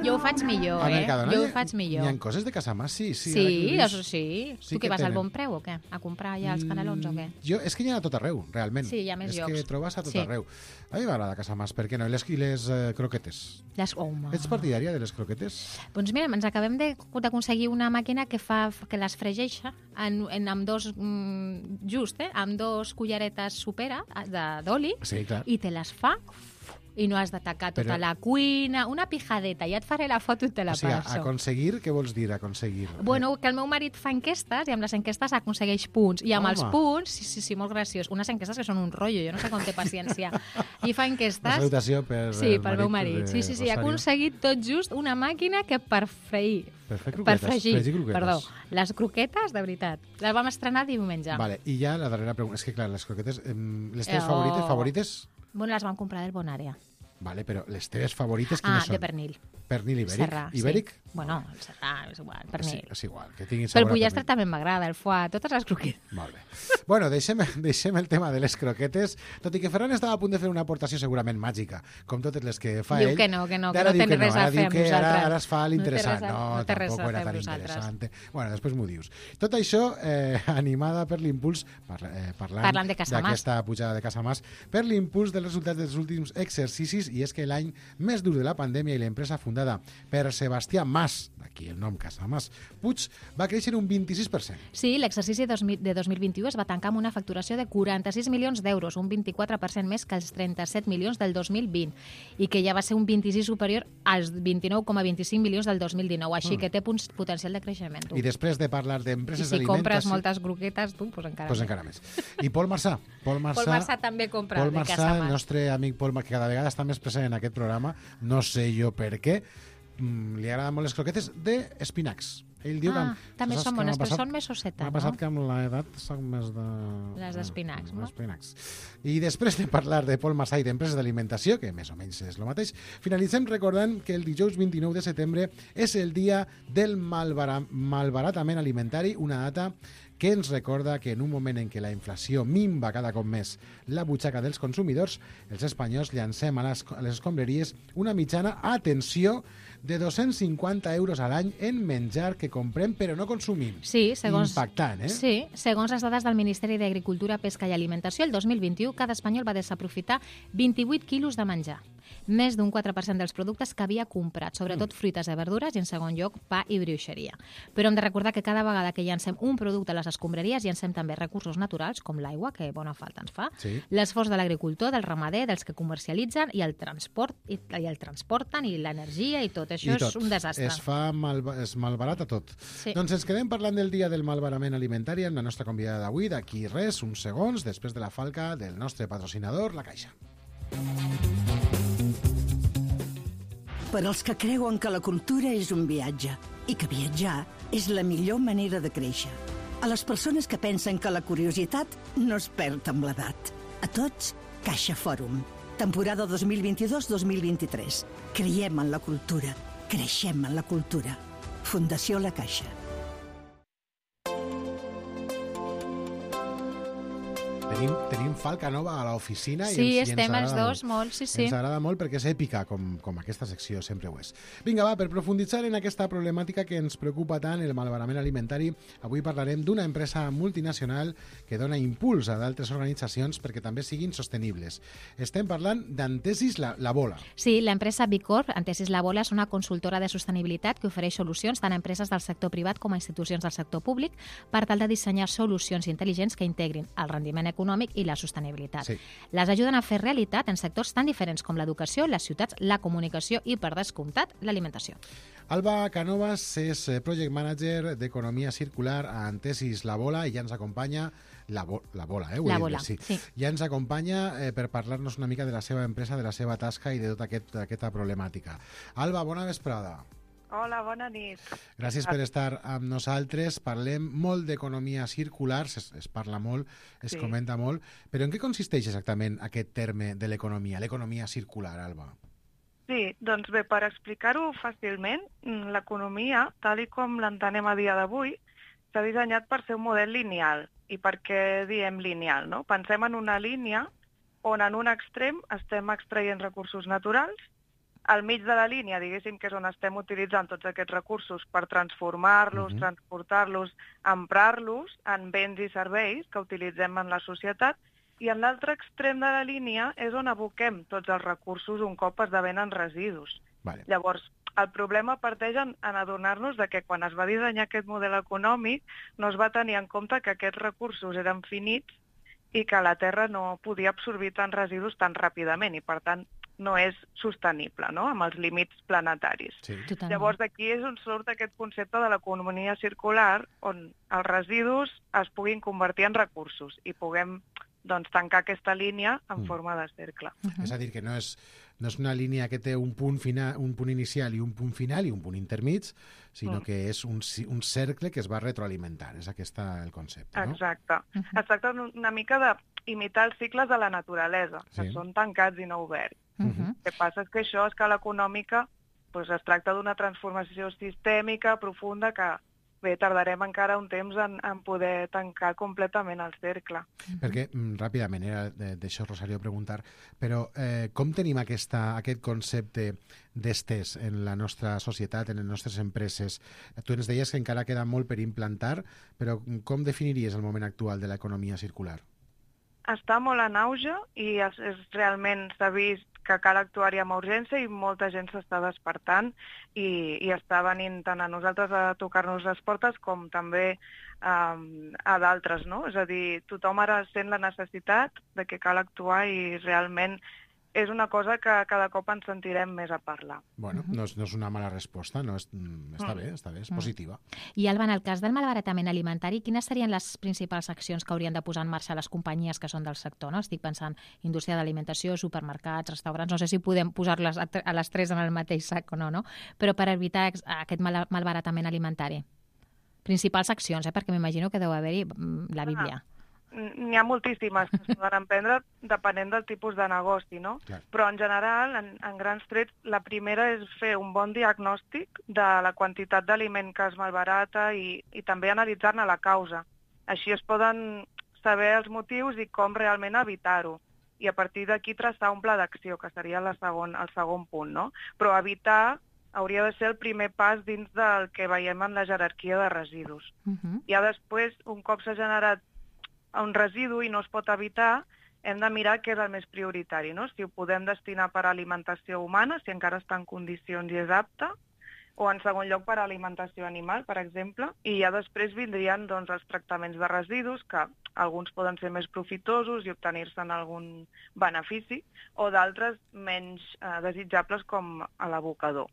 Speaker 11: Jo ho faig millor,
Speaker 2: a
Speaker 11: eh?
Speaker 2: Mercadona
Speaker 11: Jo
Speaker 2: hi
Speaker 11: ho
Speaker 2: ha-
Speaker 11: faig millor.
Speaker 2: Hi ha coses de Casa Mas, sí. Sí,
Speaker 11: Sí,
Speaker 2: ara que ho dius.
Speaker 11: això sí.
Speaker 2: Sí
Speaker 11: Tu
Speaker 2: que
Speaker 11: què vas al
Speaker 2: tenen.
Speaker 11: Bon Preu o què? A comprar ja els canelons o què?
Speaker 2: Jo, és que hi ha a tot arreu, realment.
Speaker 11: Sí, hi ha més
Speaker 2: és
Speaker 11: llocs.
Speaker 2: que trobes a tot
Speaker 11: Sí.
Speaker 2: arreu. A mi m'agrada Casa Mas, per què no? I les, i les eh, croquetes.
Speaker 11: Les... Home.
Speaker 2: Ets partidària de les croquetes?
Speaker 11: Doncs mira, ens acabem de- d'aconseguir una màquina que fa que les fregeixa en, en, amb dos, mm, just, eh, amb dos culleretes supera de- d'oli
Speaker 2: Sí, clar.
Speaker 11: i te les fa i no has d'atacar tota
Speaker 2: Però-
Speaker 11: la cuina, una pijadeta, ja et faré la foto i te la
Speaker 2: O sigui,
Speaker 11: passo.
Speaker 2: aconseguir, què vols dir, aconseguir?
Speaker 11: Bueno, que el meu marit fa enquestes i amb les enquestes aconsegueix punts. I amb
Speaker 2: Home.
Speaker 11: els punts, sí, sí, sí, molt graciós. Unes enquestes que són un rotllo, jo no sé com té paciència. I fa
Speaker 2: Una
Speaker 11: enquestes...
Speaker 2: salutació per
Speaker 11: Sí,
Speaker 2: el
Speaker 11: pel meu
Speaker 2: marit
Speaker 11: marit.
Speaker 2: de
Speaker 11: Sí, sí, sí, ha
Speaker 2: Rosario.
Speaker 11: aconseguit tot just una màquina que per freir...
Speaker 2: Per fer
Speaker 11: Per
Speaker 2: croquetes,
Speaker 11: fregir,
Speaker 2: fregir croquetes.
Speaker 11: perdó. Les croquetes, de veritat. Les vam estrenar diumenge.
Speaker 2: Vale, i ja la darrera pregunta. És que, clar, les croquetes, em, les teves
Speaker 11: Eh,
Speaker 2: favorites,
Speaker 11: oh.
Speaker 2: favorites?
Speaker 11: Bueno, les vam comprar del Bonària.
Speaker 2: Vale, però les teves favorites
Speaker 11: Ah,
Speaker 2: quines són?
Speaker 11: de pernil.
Speaker 2: Pernil ibèric?
Speaker 11: Serrà, sí.
Speaker 2: Ibèric?
Speaker 11: Bueno, el serrà, és igual,
Speaker 2: Sí,
Speaker 11: pernil.
Speaker 2: és igual, que tinguin
Speaker 11: Però
Speaker 2: sabor
Speaker 11: el
Speaker 2: a
Speaker 11: pollastre
Speaker 2: pernil.
Speaker 11: també m'agrada, el foie, totes les croquetes.
Speaker 2: Molt bé. Bueno, deixem, deixem el tema de les croquetes, tot i que Ferran estava a punt de fer una aportació segurament màgica, com totes les que fa
Speaker 11: Diu
Speaker 2: ell.
Speaker 11: que no, que no, que
Speaker 2: Ara
Speaker 11: no
Speaker 2: diu
Speaker 11: té res a
Speaker 2: ara
Speaker 11: fer
Speaker 2: diu
Speaker 11: amb
Speaker 2: que ara,
Speaker 11: nosaltres.
Speaker 2: ara es fa
Speaker 11: No té
Speaker 2: l'interessant.
Speaker 11: res a-
Speaker 2: No,
Speaker 11: no té res
Speaker 2: tampoc
Speaker 11: a
Speaker 2: era
Speaker 11: fer
Speaker 2: tan
Speaker 11: amb nosaltres.
Speaker 2: interessant. Bueno, després m'ho dius. Tot això, eh, animada per l'impuls, parla, eh, parlant,
Speaker 11: Parlant de Casa Mas.
Speaker 2: d'aquesta pujada de Casa Mas, per l'impuls dels resultats dels últims exercicis, i és que l'any més dur de la pandèmia i l'empresa fundada per Sebastià Mas, d'aquí el nom Casa Mas Puig, va créixer un vint-i-sis per cent.
Speaker 11: Sí, l'exercici dos mil- de dos mil vint-i-u es va tancar amb una facturació de quaranta-sis milions d'euros, un vint-i-quatre per cent més que els trenta-set milions del dos mil vint, i que ja va ser un vint-i-sis superior als vint-i-nou coma vint-i-cinc milions del dos mil dinou, així
Speaker 2: Mm.
Speaker 11: que té punts, potencial de creixement. Tu.
Speaker 2: I després de parlar
Speaker 11: I
Speaker 2: d'empreses
Speaker 11: si
Speaker 2: d'alimentació...
Speaker 11: compres moltes croquetes, tu, doncs encara
Speaker 2: Pues
Speaker 11: més.
Speaker 2: encara més. I Pol Marçà. Pol Marçà,
Speaker 11: Pol Marçà també compra
Speaker 2: Pol
Speaker 11: de
Speaker 2: Marçà,
Speaker 11: Casa
Speaker 2: el
Speaker 11: Mas.
Speaker 2: nostre amic Pol Marçà, que cada vegada està més present en aquest programa, no sé jo per què, mm, li agraden molt les croquetes d'espinacs. Ell diu
Speaker 11: ah,
Speaker 2: que...
Speaker 11: també
Speaker 2: saps
Speaker 11: són
Speaker 2: que
Speaker 11: bones,
Speaker 2: m'ha
Speaker 11: però
Speaker 2: passat-
Speaker 11: són més sosseta,
Speaker 2: M'ha
Speaker 11: no?
Speaker 2: passat que amb l'edat soc més de...
Speaker 11: Les d'espinacs, no?
Speaker 2: Espinacs. I després de parlar de Pol Massà i d'empreses d'alimentació, que més o menys és el mateix, finalitzem recordant que el dijous vint-i-nou de setembre és el dia del malbara... malbaratament alimentari, una data que ens recorda que en un moment en què la inflació minva cada cop més la butxaca dels consumidors, els espanyols llancem a les, a les escombraries una mitjana, atenció, de dos-cents cinquanta euros a l'any en menjar que comprem però no consumim.
Speaker 11: Sí, segons...
Speaker 2: Impactant, eh?
Speaker 11: Sí, segons les dades del Ministeri d'Agricultura, Pesca i Alimentació, el dos mil vint-i-u cada espanyol va desaprofitar vint-i-vuit quilos de menjar. Més d'un quatre per cent dels productes que havia comprat, sobretot fruites i verdures, i en segon lloc pa i brioixeria. Però hem de recordar que cada vegada que llancem un producte a les escombraries llancem també recursos naturals, com l'aigua, que bona falta ens fa,
Speaker 2: Sí.
Speaker 11: l'esforç de l'agricultor, del ramader, dels que comercialitzen, i el transport, i, i el transporten, i l'energia, i tot. Això
Speaker 2: I tot.
Speaker 11: és un desastre.
Speaker 2: Es fa mal, es malbarata tot.
Speaker 11: Sí.
Speaker 2: Doncs ens quedem parlant del dia del malbarament alimentari amb la nostra convidada d'avui, d'aquí res, uns segons, després de la falca del nostre patrocinador, la Caixa.
Speaker 10: Per als que creuen que la cultura és un viatge i que viatjar és la millor manera de créixer. A les persones que pensen que la curiositat no es perd amb l'edat. A tots, Caixa Fòrum. Temporada dos mil vint-i-dos dos mil vint-i-tres. Creiem en la cultura. Creixem en la cultura. Fundació La Caixa.
Speaker 2: Tenim, tenim falca nova a l'oficina i
Speaker 11: Sí,
Speaker 2: ens, i ens
Speaker 11: estem els
Speaker 2: agrada
Speaker 11: dos molt, sí, sí.
Speaker 2: Ens agrada molt perquè és èpica, com, com aquesta secció sempre ho és. Vinga, va, per profunditzar en aquesta problemàtica que ens preocupa tant, el malbarament alimentari, avui parlarem d'una empresa multinacional que dona impuls a d'altres organitzacions perquè també siguin sostenibles. Estem parlant d'Antesis la, la Bola.
Speaker 11: Sí, l'empresa Bicorp, Antesis La Bola, és una consultora de sostenibilitat que ofereix solucions tant a empreses del sector privat com a institucions del sector públic per tal de dissenyar solucions intel·ligents que integrin el rendiment econòmic i la sostenibilitat.
Speaker 2: Sí.
Speaker 11: Les ajuden a fer realitat en sectors tan diferents com l'educació, les ciutats, la comunicació i, per descomptat, l'alimentació.
Speaker 2: Alba Canovas és eh, Project Manager d'Economia Circular a Antesis La Bola i ja ens acompanya la, bo la Bola, eh? Ho he
Speaker 11: La
Speaker 2: dit
Speaker 11: Bola,
Speaker 2: bé, sí.
Speaker 11: sí.
Speaker 2: Ja ens acompanya eh, per parlar-nos una mica de la seva empresa, de la seva tasca i de tota aquest, aquesta problemàtica. Alba, bona vesprada.
Speaker 12: Hola, bona nit.
Speaker 2: Gràcies per estar amb nosaltres. Parlem molt d'economia circular, es, es parla molt, es
Speaker 12: Sí.
Speaker 2: comenta molt, però en què consisteix exactament aquest terme de l'economia, l'economia circular, Alba?
Speaker 12: Sí, doncs bé, per explicar-ho fàcilment, mm, l'economia, tal i com l'entenem a dia d'avui, s'ha dissenyat per ser un model lineal. I per què diem lineal, no? Pensem en una línia on en un extrem estem extraient recursos naturals, al mig de la línia, diguéssim, que és on estem utilitzant tots aquests recursos per transformar-los,
Speaker 13: Mhm.
Speaker 12: transportar-los, emprar-los en béns i serveis que utilitzem en la societat, i en l'altre extrem de la línia és on aboquem tots els recursos un cop esdevenen residus.
Speaker 2: Vale.
Speaker 12: Llavors, el problema parteix en, en adonar-nos de que quan es va dissenyar aquest model econòmic no es va tenir en compte que aquests recursos eren finits i que la Terra no podia absorbir tants residus tan ràpidament i, per tant, no és sostenible, no?, amb els límits planetaris.
Speaker 2: Sí.
Speaker 11: Totalment.
Speaker 12: Llavors, d'aquí és on surt aquest concepte de l'economia circular, on els residus es puguin convertir en recursos i puguem doncs, tancar aquesta línia en
Speaker 2: Mm.
Speaker 12: forma de cercle.
Speaker 2: És a dir, que no és, no és una línia que té un punt, final, un punt inicial i un punt final i un punt intermig, sinó
Speaker 12: Mm.
Speaker 2: que és un, ci- un cercle que es va retroalimentant. És aquest el concepte, no?
Speaker 12: Exacte. Es tracta una mica d'imitar els cicles de la naturalesa, que
Speaker 2: Sí.
Speaker 12: són tancats i no oberts.
Speaker 2: Mhm.
Speaker 12: El que passa és que això, a escala econòmica, doncs es tracta d'una transformació sistèmica profunda que, bé, tardarem encara un temps en, en poder tancar completament el cercle.
Speaker 2: Perquè, mm, ràpidament, era de- d'això, Rosario, preguntar, però eh, com tenim aquesta, aquest concepte d'estès en la nostra societat, en les nostres empreses? Tu ens deies que encara queda molt per implantar, però com definiries el moment actual de l'economia circular?
Speaker 12: Està molt en auge i és, és realment s'ha vist que cal actuar-hi amb urgència i molta gent s'està despertant i, i està venint tant a nosaltres a tocar-nos les portes com també um, a d'altres, no? És a dir, tothom ara sent la necessitat de que cal actuar i realment és una cosa que cada cop ens sentirem més a parlar.
Speaker 2: Bueno, no és, no és una mala resposta, no és, mm, està
Speaker 12: Mm.
Speaker 2: bé, està bé, és
Speaker 11: Mm.
Speaker 2: positiva.
Speaker 11: I, Alba, en el cas del malbaratament alimentari, quines serien les principals accions que haurien de posar en marxa les companyies que són del sector? No? Estic pensant indústria d'alimentació, supermercats, restaurants, no sé si podem posar-les a, a les tres en el mateix sac o no, no? Però per evitar ex- aquest mal, malbaratament alimentari. principals accions, eh? Perquè m'imagino que deu haver-hi la Bíblia.
Speaker 12: Ah. N'hi ha moltíssimes que es poden emprendre depenent del tipus de negoci, no?
Speaker 2: Clar.
Speaker 12: Però en general, en, en grans trets, la primera és fer un bon diagnòstic de la quantitat d'aliment que es malbarata i, i també analitzar-ne la causa. Així es poden saber els motius i com realment evitar-ho. I a partir d'aquí traçar un pla d'acció, que seria la segon, el segon punt, no? Però evitar hauria de ser el primer pas dins del que veiem en la jerarquia de residus.
Speaker 11: Uh-huh.
Speaker 12: Ja després, un cop s'ha generat un residu i no es pot evitar, hem de mirar què és el més prioritari, no? Si ho podem destinar per a alimentació humana, si encara està en condicions i és apte, o en segon lloc per a alimentació animal, per exemple, i ja després vindrien doncs, els tractaments de residus, que alguns poden ser més profitosos i obtenir-se'n algun benefici, o d'altres menys eh, desitjables com a l'abocador.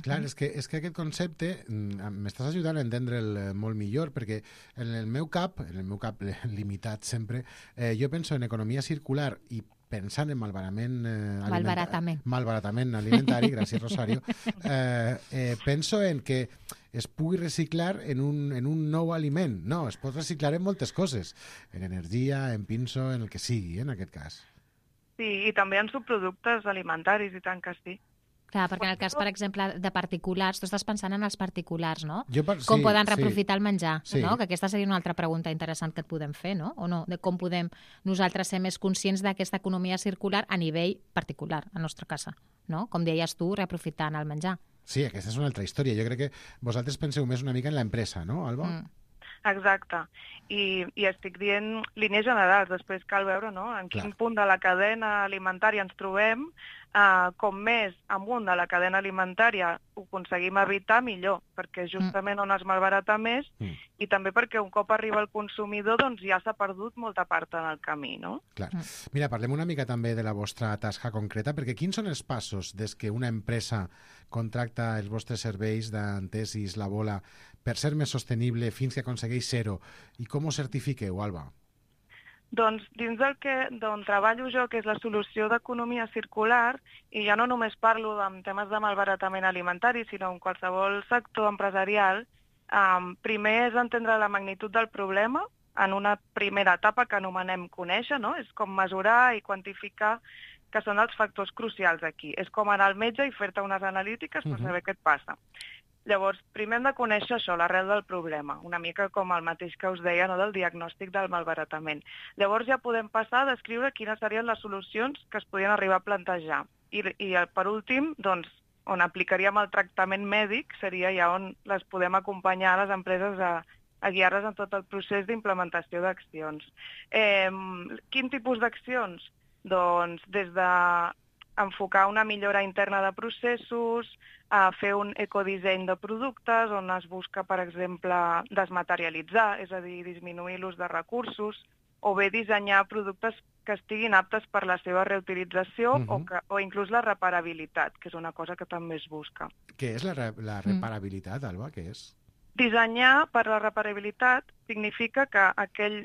Speaker 2: Clar, és que, és que aquest concepte m'estàs ajudant a entendre'l molt millor, perquè en el meu cap, en el meu cap limitat sempre, eh, jo penso en economia circular i pensant en malbaratament, eh,
Speaker 11: malbaratament.
Speaker 2: malbaratament alimentari, gràcies Rosario, eh, eh, penso en que es pugui reciclar en un, en un nou aliment. No, es pot reciclar en moltes coses, en energia, en pinso, en el que sigui, en aquest cas.
Speaker 12: Sí, i també en subproductes alimentaris, i tant que sí.
Speaker 11: Clar, perquè en el cas, per exemple, de particulars, tu estàs pensant en els particulars, no?
Speaker 2: Jo per...
Speaker 11: Com
Speaker 2: sí,
Speaker 11: poden
Speaker 2: sí.
Speaker 11: reaprofitar el menjar,
Speaker 2: Sí.
Speaker 11: no? Que aquesta seria una altra pregunta interessant que et podem fer, no? O no? De com podem nosaltres ser més conscients d'aquesta economia circular a nivell particular, a nostra casa, no? Com deies tu, reaprofitant el menjar.
Speaker 2: Sí, aquesta és una altra història. Jo crec que vosaltres penseu més una mica en l'empresa, no, Alba?
Speaker 11: Mm.
Speaker 12: Exacte. I, I estic dient línies generals, després cal veure, no?, en
Speaker 2: Clar.
Speaker 12: quin punt de la cadena alimentària ens trobem. Uh, com més amunt de la cadena alimentària ho aconseguim evitar, millor, perquè justament on es malbarata més
Speaker 2: Mm.
Speaker 12: i també perquè un cop arriba el consumidor doncs ja s'ha perdut molta part en el camí, no?
Speaker 2: Clar. Mira, parlem una mica també de la vostra tasca concreta, perquè quins són els passos des que una empresa contracta els vostres serveis d'Antesis, la Bola, per ser més sostenible fins que aconsegueix zero? I com ho certifiqueu, Alba?
Speaker 12: Doncs dins del que d'on treballo jo, que és la solució d'economia circular, i ja no només parlo en temes de malbaratament alimentari, sinó en qualsevol sector empresarial, um, primer és entendre la magnitud del problema en una primera etapa que anomenem conèixer, no? És com mesurar i quantificar que són els factors crucials aquí. És com anar al metge i fer-te unes analítiques per saber què et passa. Llavors, primer hem de conèixer això, l'arrel del problema, una mica com el mateix que us deia, no?, del diagnòstic del malbaratament. Llavors ja podem passar a descriure quines serien les solucions que es podien arribar a plantejar. I, i per últim, doncs, on aplicaríem el tractament mèdic seria ja on les podem acompanyar a les empreses a, a guiar-les en tot el procés d'implementació d'accions. Eh, quin tipus d'accions? Doncs des de enfocar una millora interna de processos, a fer un ecodisseny de productes on es busca, per exemple, desmaterialitzar, és a dir, disminuir l'ús de recursos, o bé dissenyar productes que estiguin aptes per la seva reutilització uh-huh. o, que, o inclús la reparabilitat, que és una cosa que també es busca.
Speaker 2: Què és la, re la reparabilitat, Alba? Què és?
Speaker 12: Dissenyar per la reparabilitat significa que aquell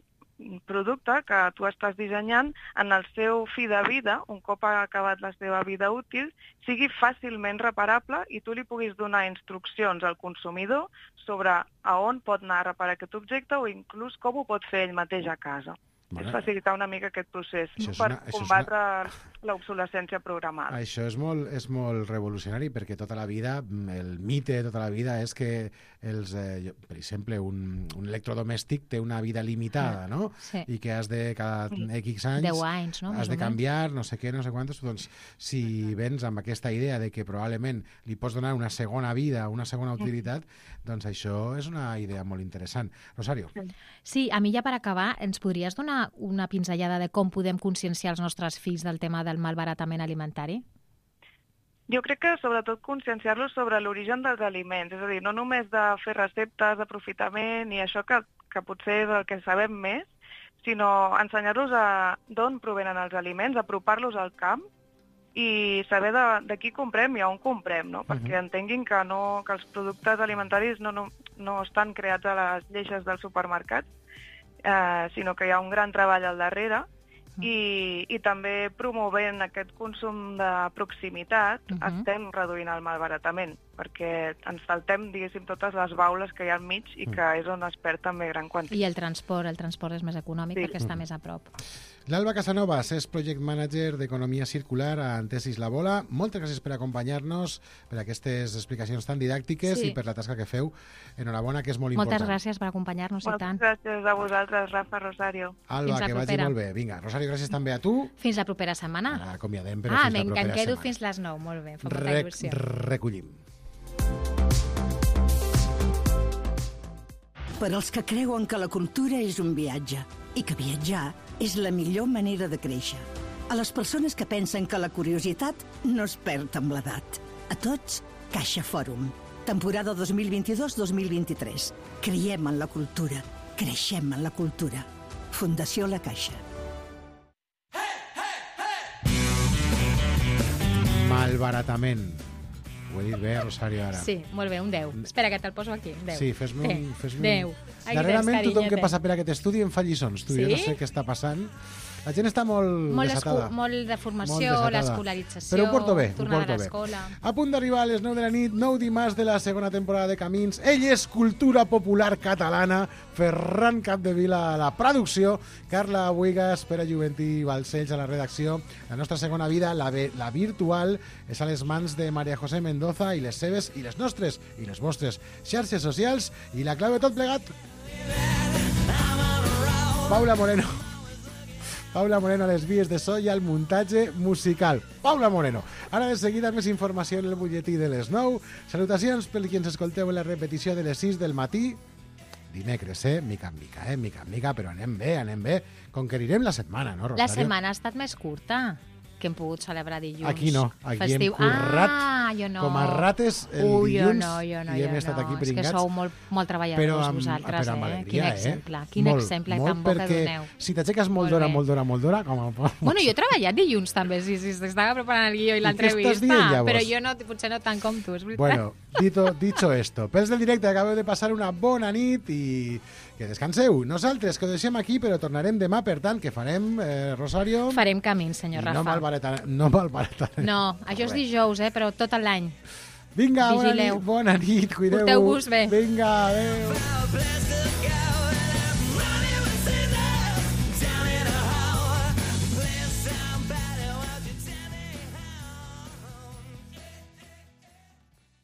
Speaker 12: producte que tu estàs dissenyant, en el seu fi de vida, un cop ha acabat la seva vida útil, sigui fàcilment reparable i tu li puguis donar instruccions al consumidor sobre a on pot anar a reparar aquest objecte o inclús com ho pot fer ell mateix a casa.
Speaker 2: Bueno,
Speaker 12: és facilitar una mica aquest procés no?
Speaker 2: és
Speaker 12: per
Speaker 2: una,
Speaker 12: combatre una... l'obsolescència programada.
Speaker 2: Això és molt, és molt revolucionari perquè tota la vida, el mite de tota la vida és que, els, eh, per exemple, un, un electrodomèstic té una vida limitada, no?
Speaker 11: Sí.
Speaker 2: I que has de, cada X anys,
Speaker 11: deu anys, no?
Speaker 2: has de canviar, no sé què, no sé quantos. Doncs, si vens amb aquesta idea de que probablement li pots donar una segona vida, una segona utilitat, doncs això és una idea molt interessant. Rosario.
Speaker 11: Sí, a mi ja per acabar, ens podries donar una pinzellada de com podem conscienciar els nostres fills del tema del malbaratament alimentari?
Speaker 12: Jo crec que sobretot conscienciar-los sobre l'origen dels aliments, és a dir, no només de fer receptes d'aprofitament i això que, que potser és el que sabem més, sinó ensenyar-los d'on provenen els aliments, apropar-los al camp i saber de, de qui comprem i on comprem, no? Perquè uh-huh. entenguin que, no, que els productes alimentaris no, no, no estan creats a les lleixes dels supermercats, eh, sinó que hi ha un gran treball al darrere i, i també promovent aquest consum de proximitat uh-huh. estem reduint el malbaratament. perquè ens saltem, diguéssim, totes les baules que hi ha al mig i que és on es perd també gran quantitat.
Speaker 11: I el transport, el transport és més econòmic
Speaker 12: Sí.
Speaker 11: perquè està més a prop.
Speaker 2: L'Alba Casanovas és Project Manager d'Economia Circular a Antesis La Bola. Moltes gràcies per acompanyar-nos, per aquestes explicacions tan didàctiques
Speaker 11: Sí.
Speaker 2: i per la tasca que feu. Enhorabona, que és molt
Speaker 11: Moltes
Speaker 2: important.
Speaker 11: gràcies per acompanyar-nos i
Speaker 12: Moltes
Speaker 11: tant.
Speaker 12: gràcies a vosaltres, Rafa, Rosario.
Speaker 2: Alba,
Speaker 11: Fins la
Speaker 2: que vagi
Speaker 11: propera.
Speaker 2: molt bé. Vinga, Rosario, gràcies també a tu.
Speaker 11: Fins la propera setmana.
Speaker 2: Ara acomiadem, però
Speaker 11: ah,
Speaker 2: fins la
Speaker 11: me'n
Speaker 2: propera
Speaker 11: quedo
Speaker 2: setmana.
Speaker 11: fins les nou. Molt bé, fa molta
Speaker 2: Rec
Speaker 11: il·lusió.
Speaker 2: recollim.
Speaker 10: Per als que creuen que la cultura és un viatge i que viatjar és la millor manera de créixer. A les persones que pensen que la curiositat no es perd amb l'edat. A tots, Caixa Fòrum. Temporada dos mil vint-i-dos dos mil vint-i-tres. Creiem en la cultura. Creixem en la cultura. Fundació La Caixa.
Speaker 2: Malbaratament. Ho he dit bé, Rosario, ara.
Speaker 11: Sí, molt bé, un deu. Espera, que te'l poso aquí, un deu.
Speaker 2: Sí, fes-me un... Fes
Speaker 11: deu. Aquí
Speaker 2: Darrerament,
Speaker 11: tens,
Speaker 2: tothom que
Speaker 11: carinyete.
Speaker 2: passa per aquest estudi em fa lliçons. Tu,
Speaker 11: Sí?
Speaker 2: Jo no sé què està passant. La gent està molt,
Speaker 11: Molt,
Speaker 2: desatada.
Speaker 11: escu- molt de formació,
Speaker 2: Molt desatada.
Speaker 11: l'escolarització,
Speaker 2: Però ho porto bé, ho
Speaker 11: tornada
Speaker 2: porto
Speaker 11: a
Speaker 2: bé.
Speaker 11: l'escola.
Speaker 2: A punt d'arribar a les nou de la nit, nou dimarts de la segona temporada de Camins. Ell és cultura popular catalana, Ferran Capdevila a la producció, Carla Buigas, Pere Juventí i Balcells a la redacció. La nostra segona vida, la, ve, la virtual, és a les mans de Maria José Mendoza i les seves i les nostres i les vostres xarxes socials. I la clau de tot plegat... Paula Moreno. Paula Moreno a les vies de so i al muntatge musical. Paula Moreno. Ara de seguida més informació en el butlletí de les nou. Salutacions per qui ens escolteu en la repetició de les sis del matí. Dimecres, eh? Mica en mica, eh? Mica en mica, però anem bé, anem bé. Conquerirem la setmana, no, Rosario?
Speaker 11: La setmana ha estat més curta que hem pogut celebrar dilluns.
Speaker 2: Aquí no, aquí
Speaker 11: Festiu.
Speaker 2: hem currat
Speaker 11: ah, jo no.
Speaker 2: com a rates el
Speaker 11: Ui,
Speaker 2: dilluns
Speaker 11: jo no, jo no,
Speaker 2: i hem
Speaker 11: jo
Speaker 2: estat
Speaker 11: no.
Speaker 2: aquí
Speaker 11: És
Speaker 2: pringats.
Speaker 11: que sou molt, molt treballadors
Speaker 2: però amb,
Speaker 11: vosaltres,
Speaker 2: però amb
Speaker 11: eh?
Speaker 2: alegria,
Speaker 11: Quin
Speaker 2: eh?
Speaker 11: exemple, quin
Speaker 2: molt,
Speaker 11: exemple
Speaker 2: molt
Speaker 11: tan bo que
Speaker 2: perquè
Speaker 11: doneu.
Speaker 2: si t'aixeques molt
Speaker 11: Molt
Speaker 2: d'hora,
Speaker 11: bé.
Speaker 2: molt d'hora, molt d'hora, com a...
Speaker 11: Bueno, jo he treballat dilluns també, sí, sí, estava preparant el guió i
Speaker 2: I què
Speaker 11: l'entrevista,
Speaker 2: estàs dient, llavors?
Speaker 11: però jo no, potser no tant com tu, és veritat.
Speaker 2: Bueno, dito, dicho esto, pels del directe, acabeu de passar una bona nit i que descanseu. Nosaltres, que ho deixem aquí, però tornarem demà, per tant, que farem, eh, Rosario...
Speaker 11: Farem camins, senyor
Speaker 2: I
Speaker 11: Rafa.
Speaker 2: no malbaratarem. No malbaratarem.
Speaker 11: No, això és dijous, eh, però tot l'any.
Speaker 2: Vinga, bona
Speaker 11: Vigileu.
Speaker 2: nit, bona nit, cuideu-vos.
Speaker 11: Porteu-vos bé.
Speaker 2: Vinga, adéu.